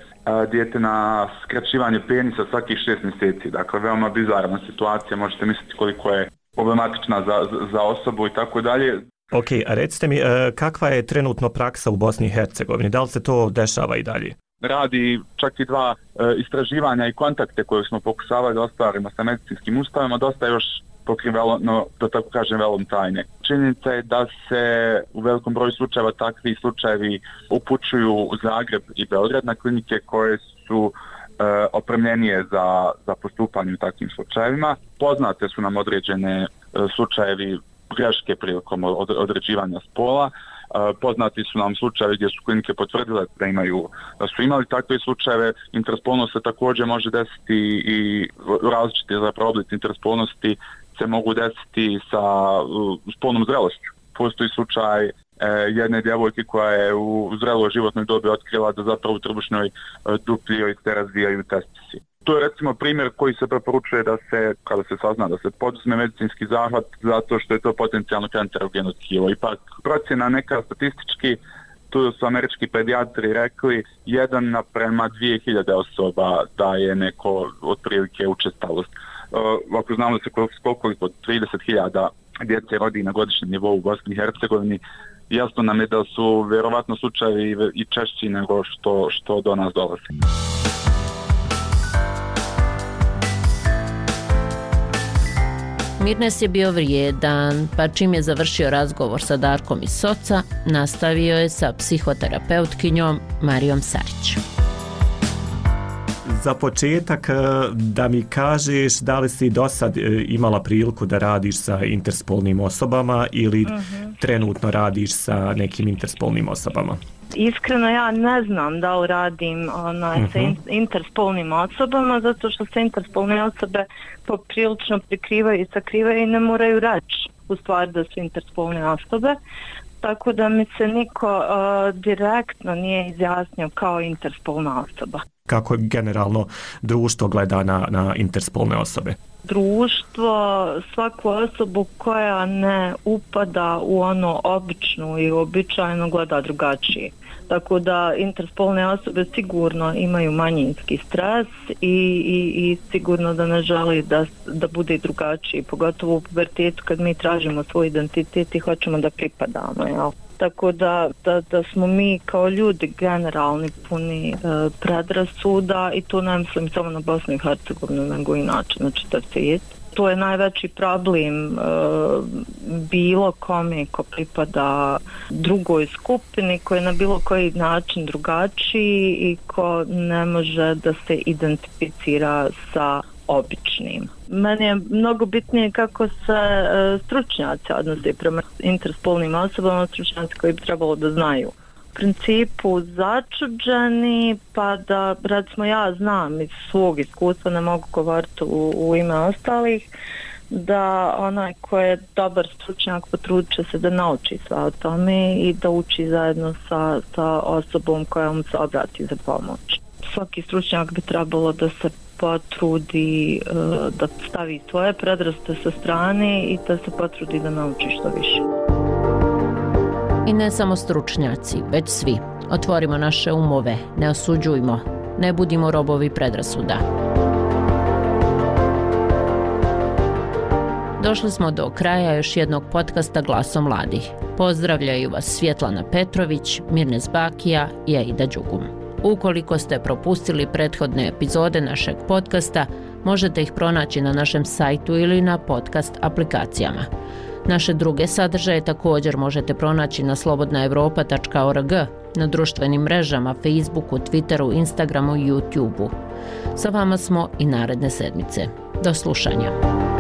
dijete na skraćivanje penisa svakih 6 mjeseci. Dakle, veoma bizarna situacija, možete misliti koliko je problematična za osobu i tako dalje. Ok, a recite mi, kakva je trenutno praksa u Bosni i Hercegovini? Da li se to dešava i dalje? Radi čak i 2 istraživanja i kontakte koje smo pokušavali da ostvarimo sa medicinskim ustavima, dosta još pokrivalo, no, da tako kažem, velom tajne. Činjenica je da se u velikom broju slučajeva takvi slučajevi upućuju u Zagreb i Beograd na klinike koje su opremljenije za postupanje u takvim slučajevima. Poznate su nam određene slučajevi greške prilikom određivanja spola. Poznati su nam slučajevi gdje su klinike potvrdile da su imali takve slučajeve. Interspolnost se također može desiti i različite zapravo oblici interspolnosti se mogu desiti sa spolnom zrelošću. Postoji slučaj jedne djevojke koja je u zreloj životnoj dobi otkrila da zapravo u trbušnoj dupli joj se razvijaju testisi. To je recimo primjer koji se preporučuje da se, kada se sazna da se poduzme medicinski zahvat, zato što je to potencijalno kancerogeno tkivo. Ipak procjena neka statistički, tu su američki pedijatri rekli 1:2000 osoba da je neko otprilike učestalost. Ako znamo da se koliko 30.000 djece rodi na godišnjem nivou u Bosni i Hercegovini, jasno nam je da su vjerovatno slučajevi i češći nego što do nas dolazi. Mirnes je bio vrijedan, pa čim je završio razgovor sa Darkom iz Soca, nastavio je sa psihoterapeutkinjom Marijom Sarić. Za početak da mi kažeš da li si do sad imala priliku da radiš sa interspolnim osobama ili trenutno radiš sa nekim interspolnim osobama? Iskreno ja ne znam da li radim sa interspolnim osobama, zato što se interspolne osobe poprilično prikrivaju i sakrivaju i ne moraju reći u stvari da su interspolne osobe. Tako da mi se niko direktno nije izjasnio kao interspolna osoba. Kako generalno društvo gleda na interspolne osobe? Društvo svaku osobu koja ne upada u ono običnu i uobičajeno gleda drugačije. Tako da interspolne osobe sigurno imaju manjinski stres i sigurno da ne žele da bude drugačiji, pogotovo u pubertetu kad mi tražimo svoj identitet i hoćemo da pripadamo, jel? Tako da smo mi kao ljudi generalni puni predrasuda i to ne mislim samo na Bosnu i Hercegovinu nego inače na čitav svijet. To je najveći problem bilo kome ko pripada drugoj skupini, koji je na bilo koji način drugačiji i ko ne može da se identificira sa običnim. Meni je mnogo bitnije kako se stručnjaci odnose prema interspolnim osobama, stručnjaci koji bi trebalo da znaju. U principu začuđeni, pa da recimo ja znam iz svog iskustva, ne mogu govoriti u ime ostalih, da onaj ko je dobar stručnjak potrudit će se da nauči sve o tome i da uči zajedno sa osobom koja mu se obrati za pomoć. Svaki stručnjak bi trebalo da se potrudi da stavi svoje predrasude sa strane i da se potrudi da nauči što više. I ne samo stručnjaci, već svi. Otvorimo naše umove, ne osuđujmo, ne budimo robovi predrasuda. Došli smo do kraja još jednog podcasta Glasom mladih. Pozdravljaju vas Svjetlana Petrović, Mirnes Bakija i Aida Đugum. Ukoliko ste propustili prethodne epizode našeg podcasta, možete ih pronaći na našem sajtu ili na podcast aplikacijama. Naše druge sadržaje također možete pronaći na slobodnaevropa.org, na društvenim mrežama, Facebooku, Twitteru, Instagramu i YouTubeu. Sa vama smo i naredne sedmice. Do slušanja.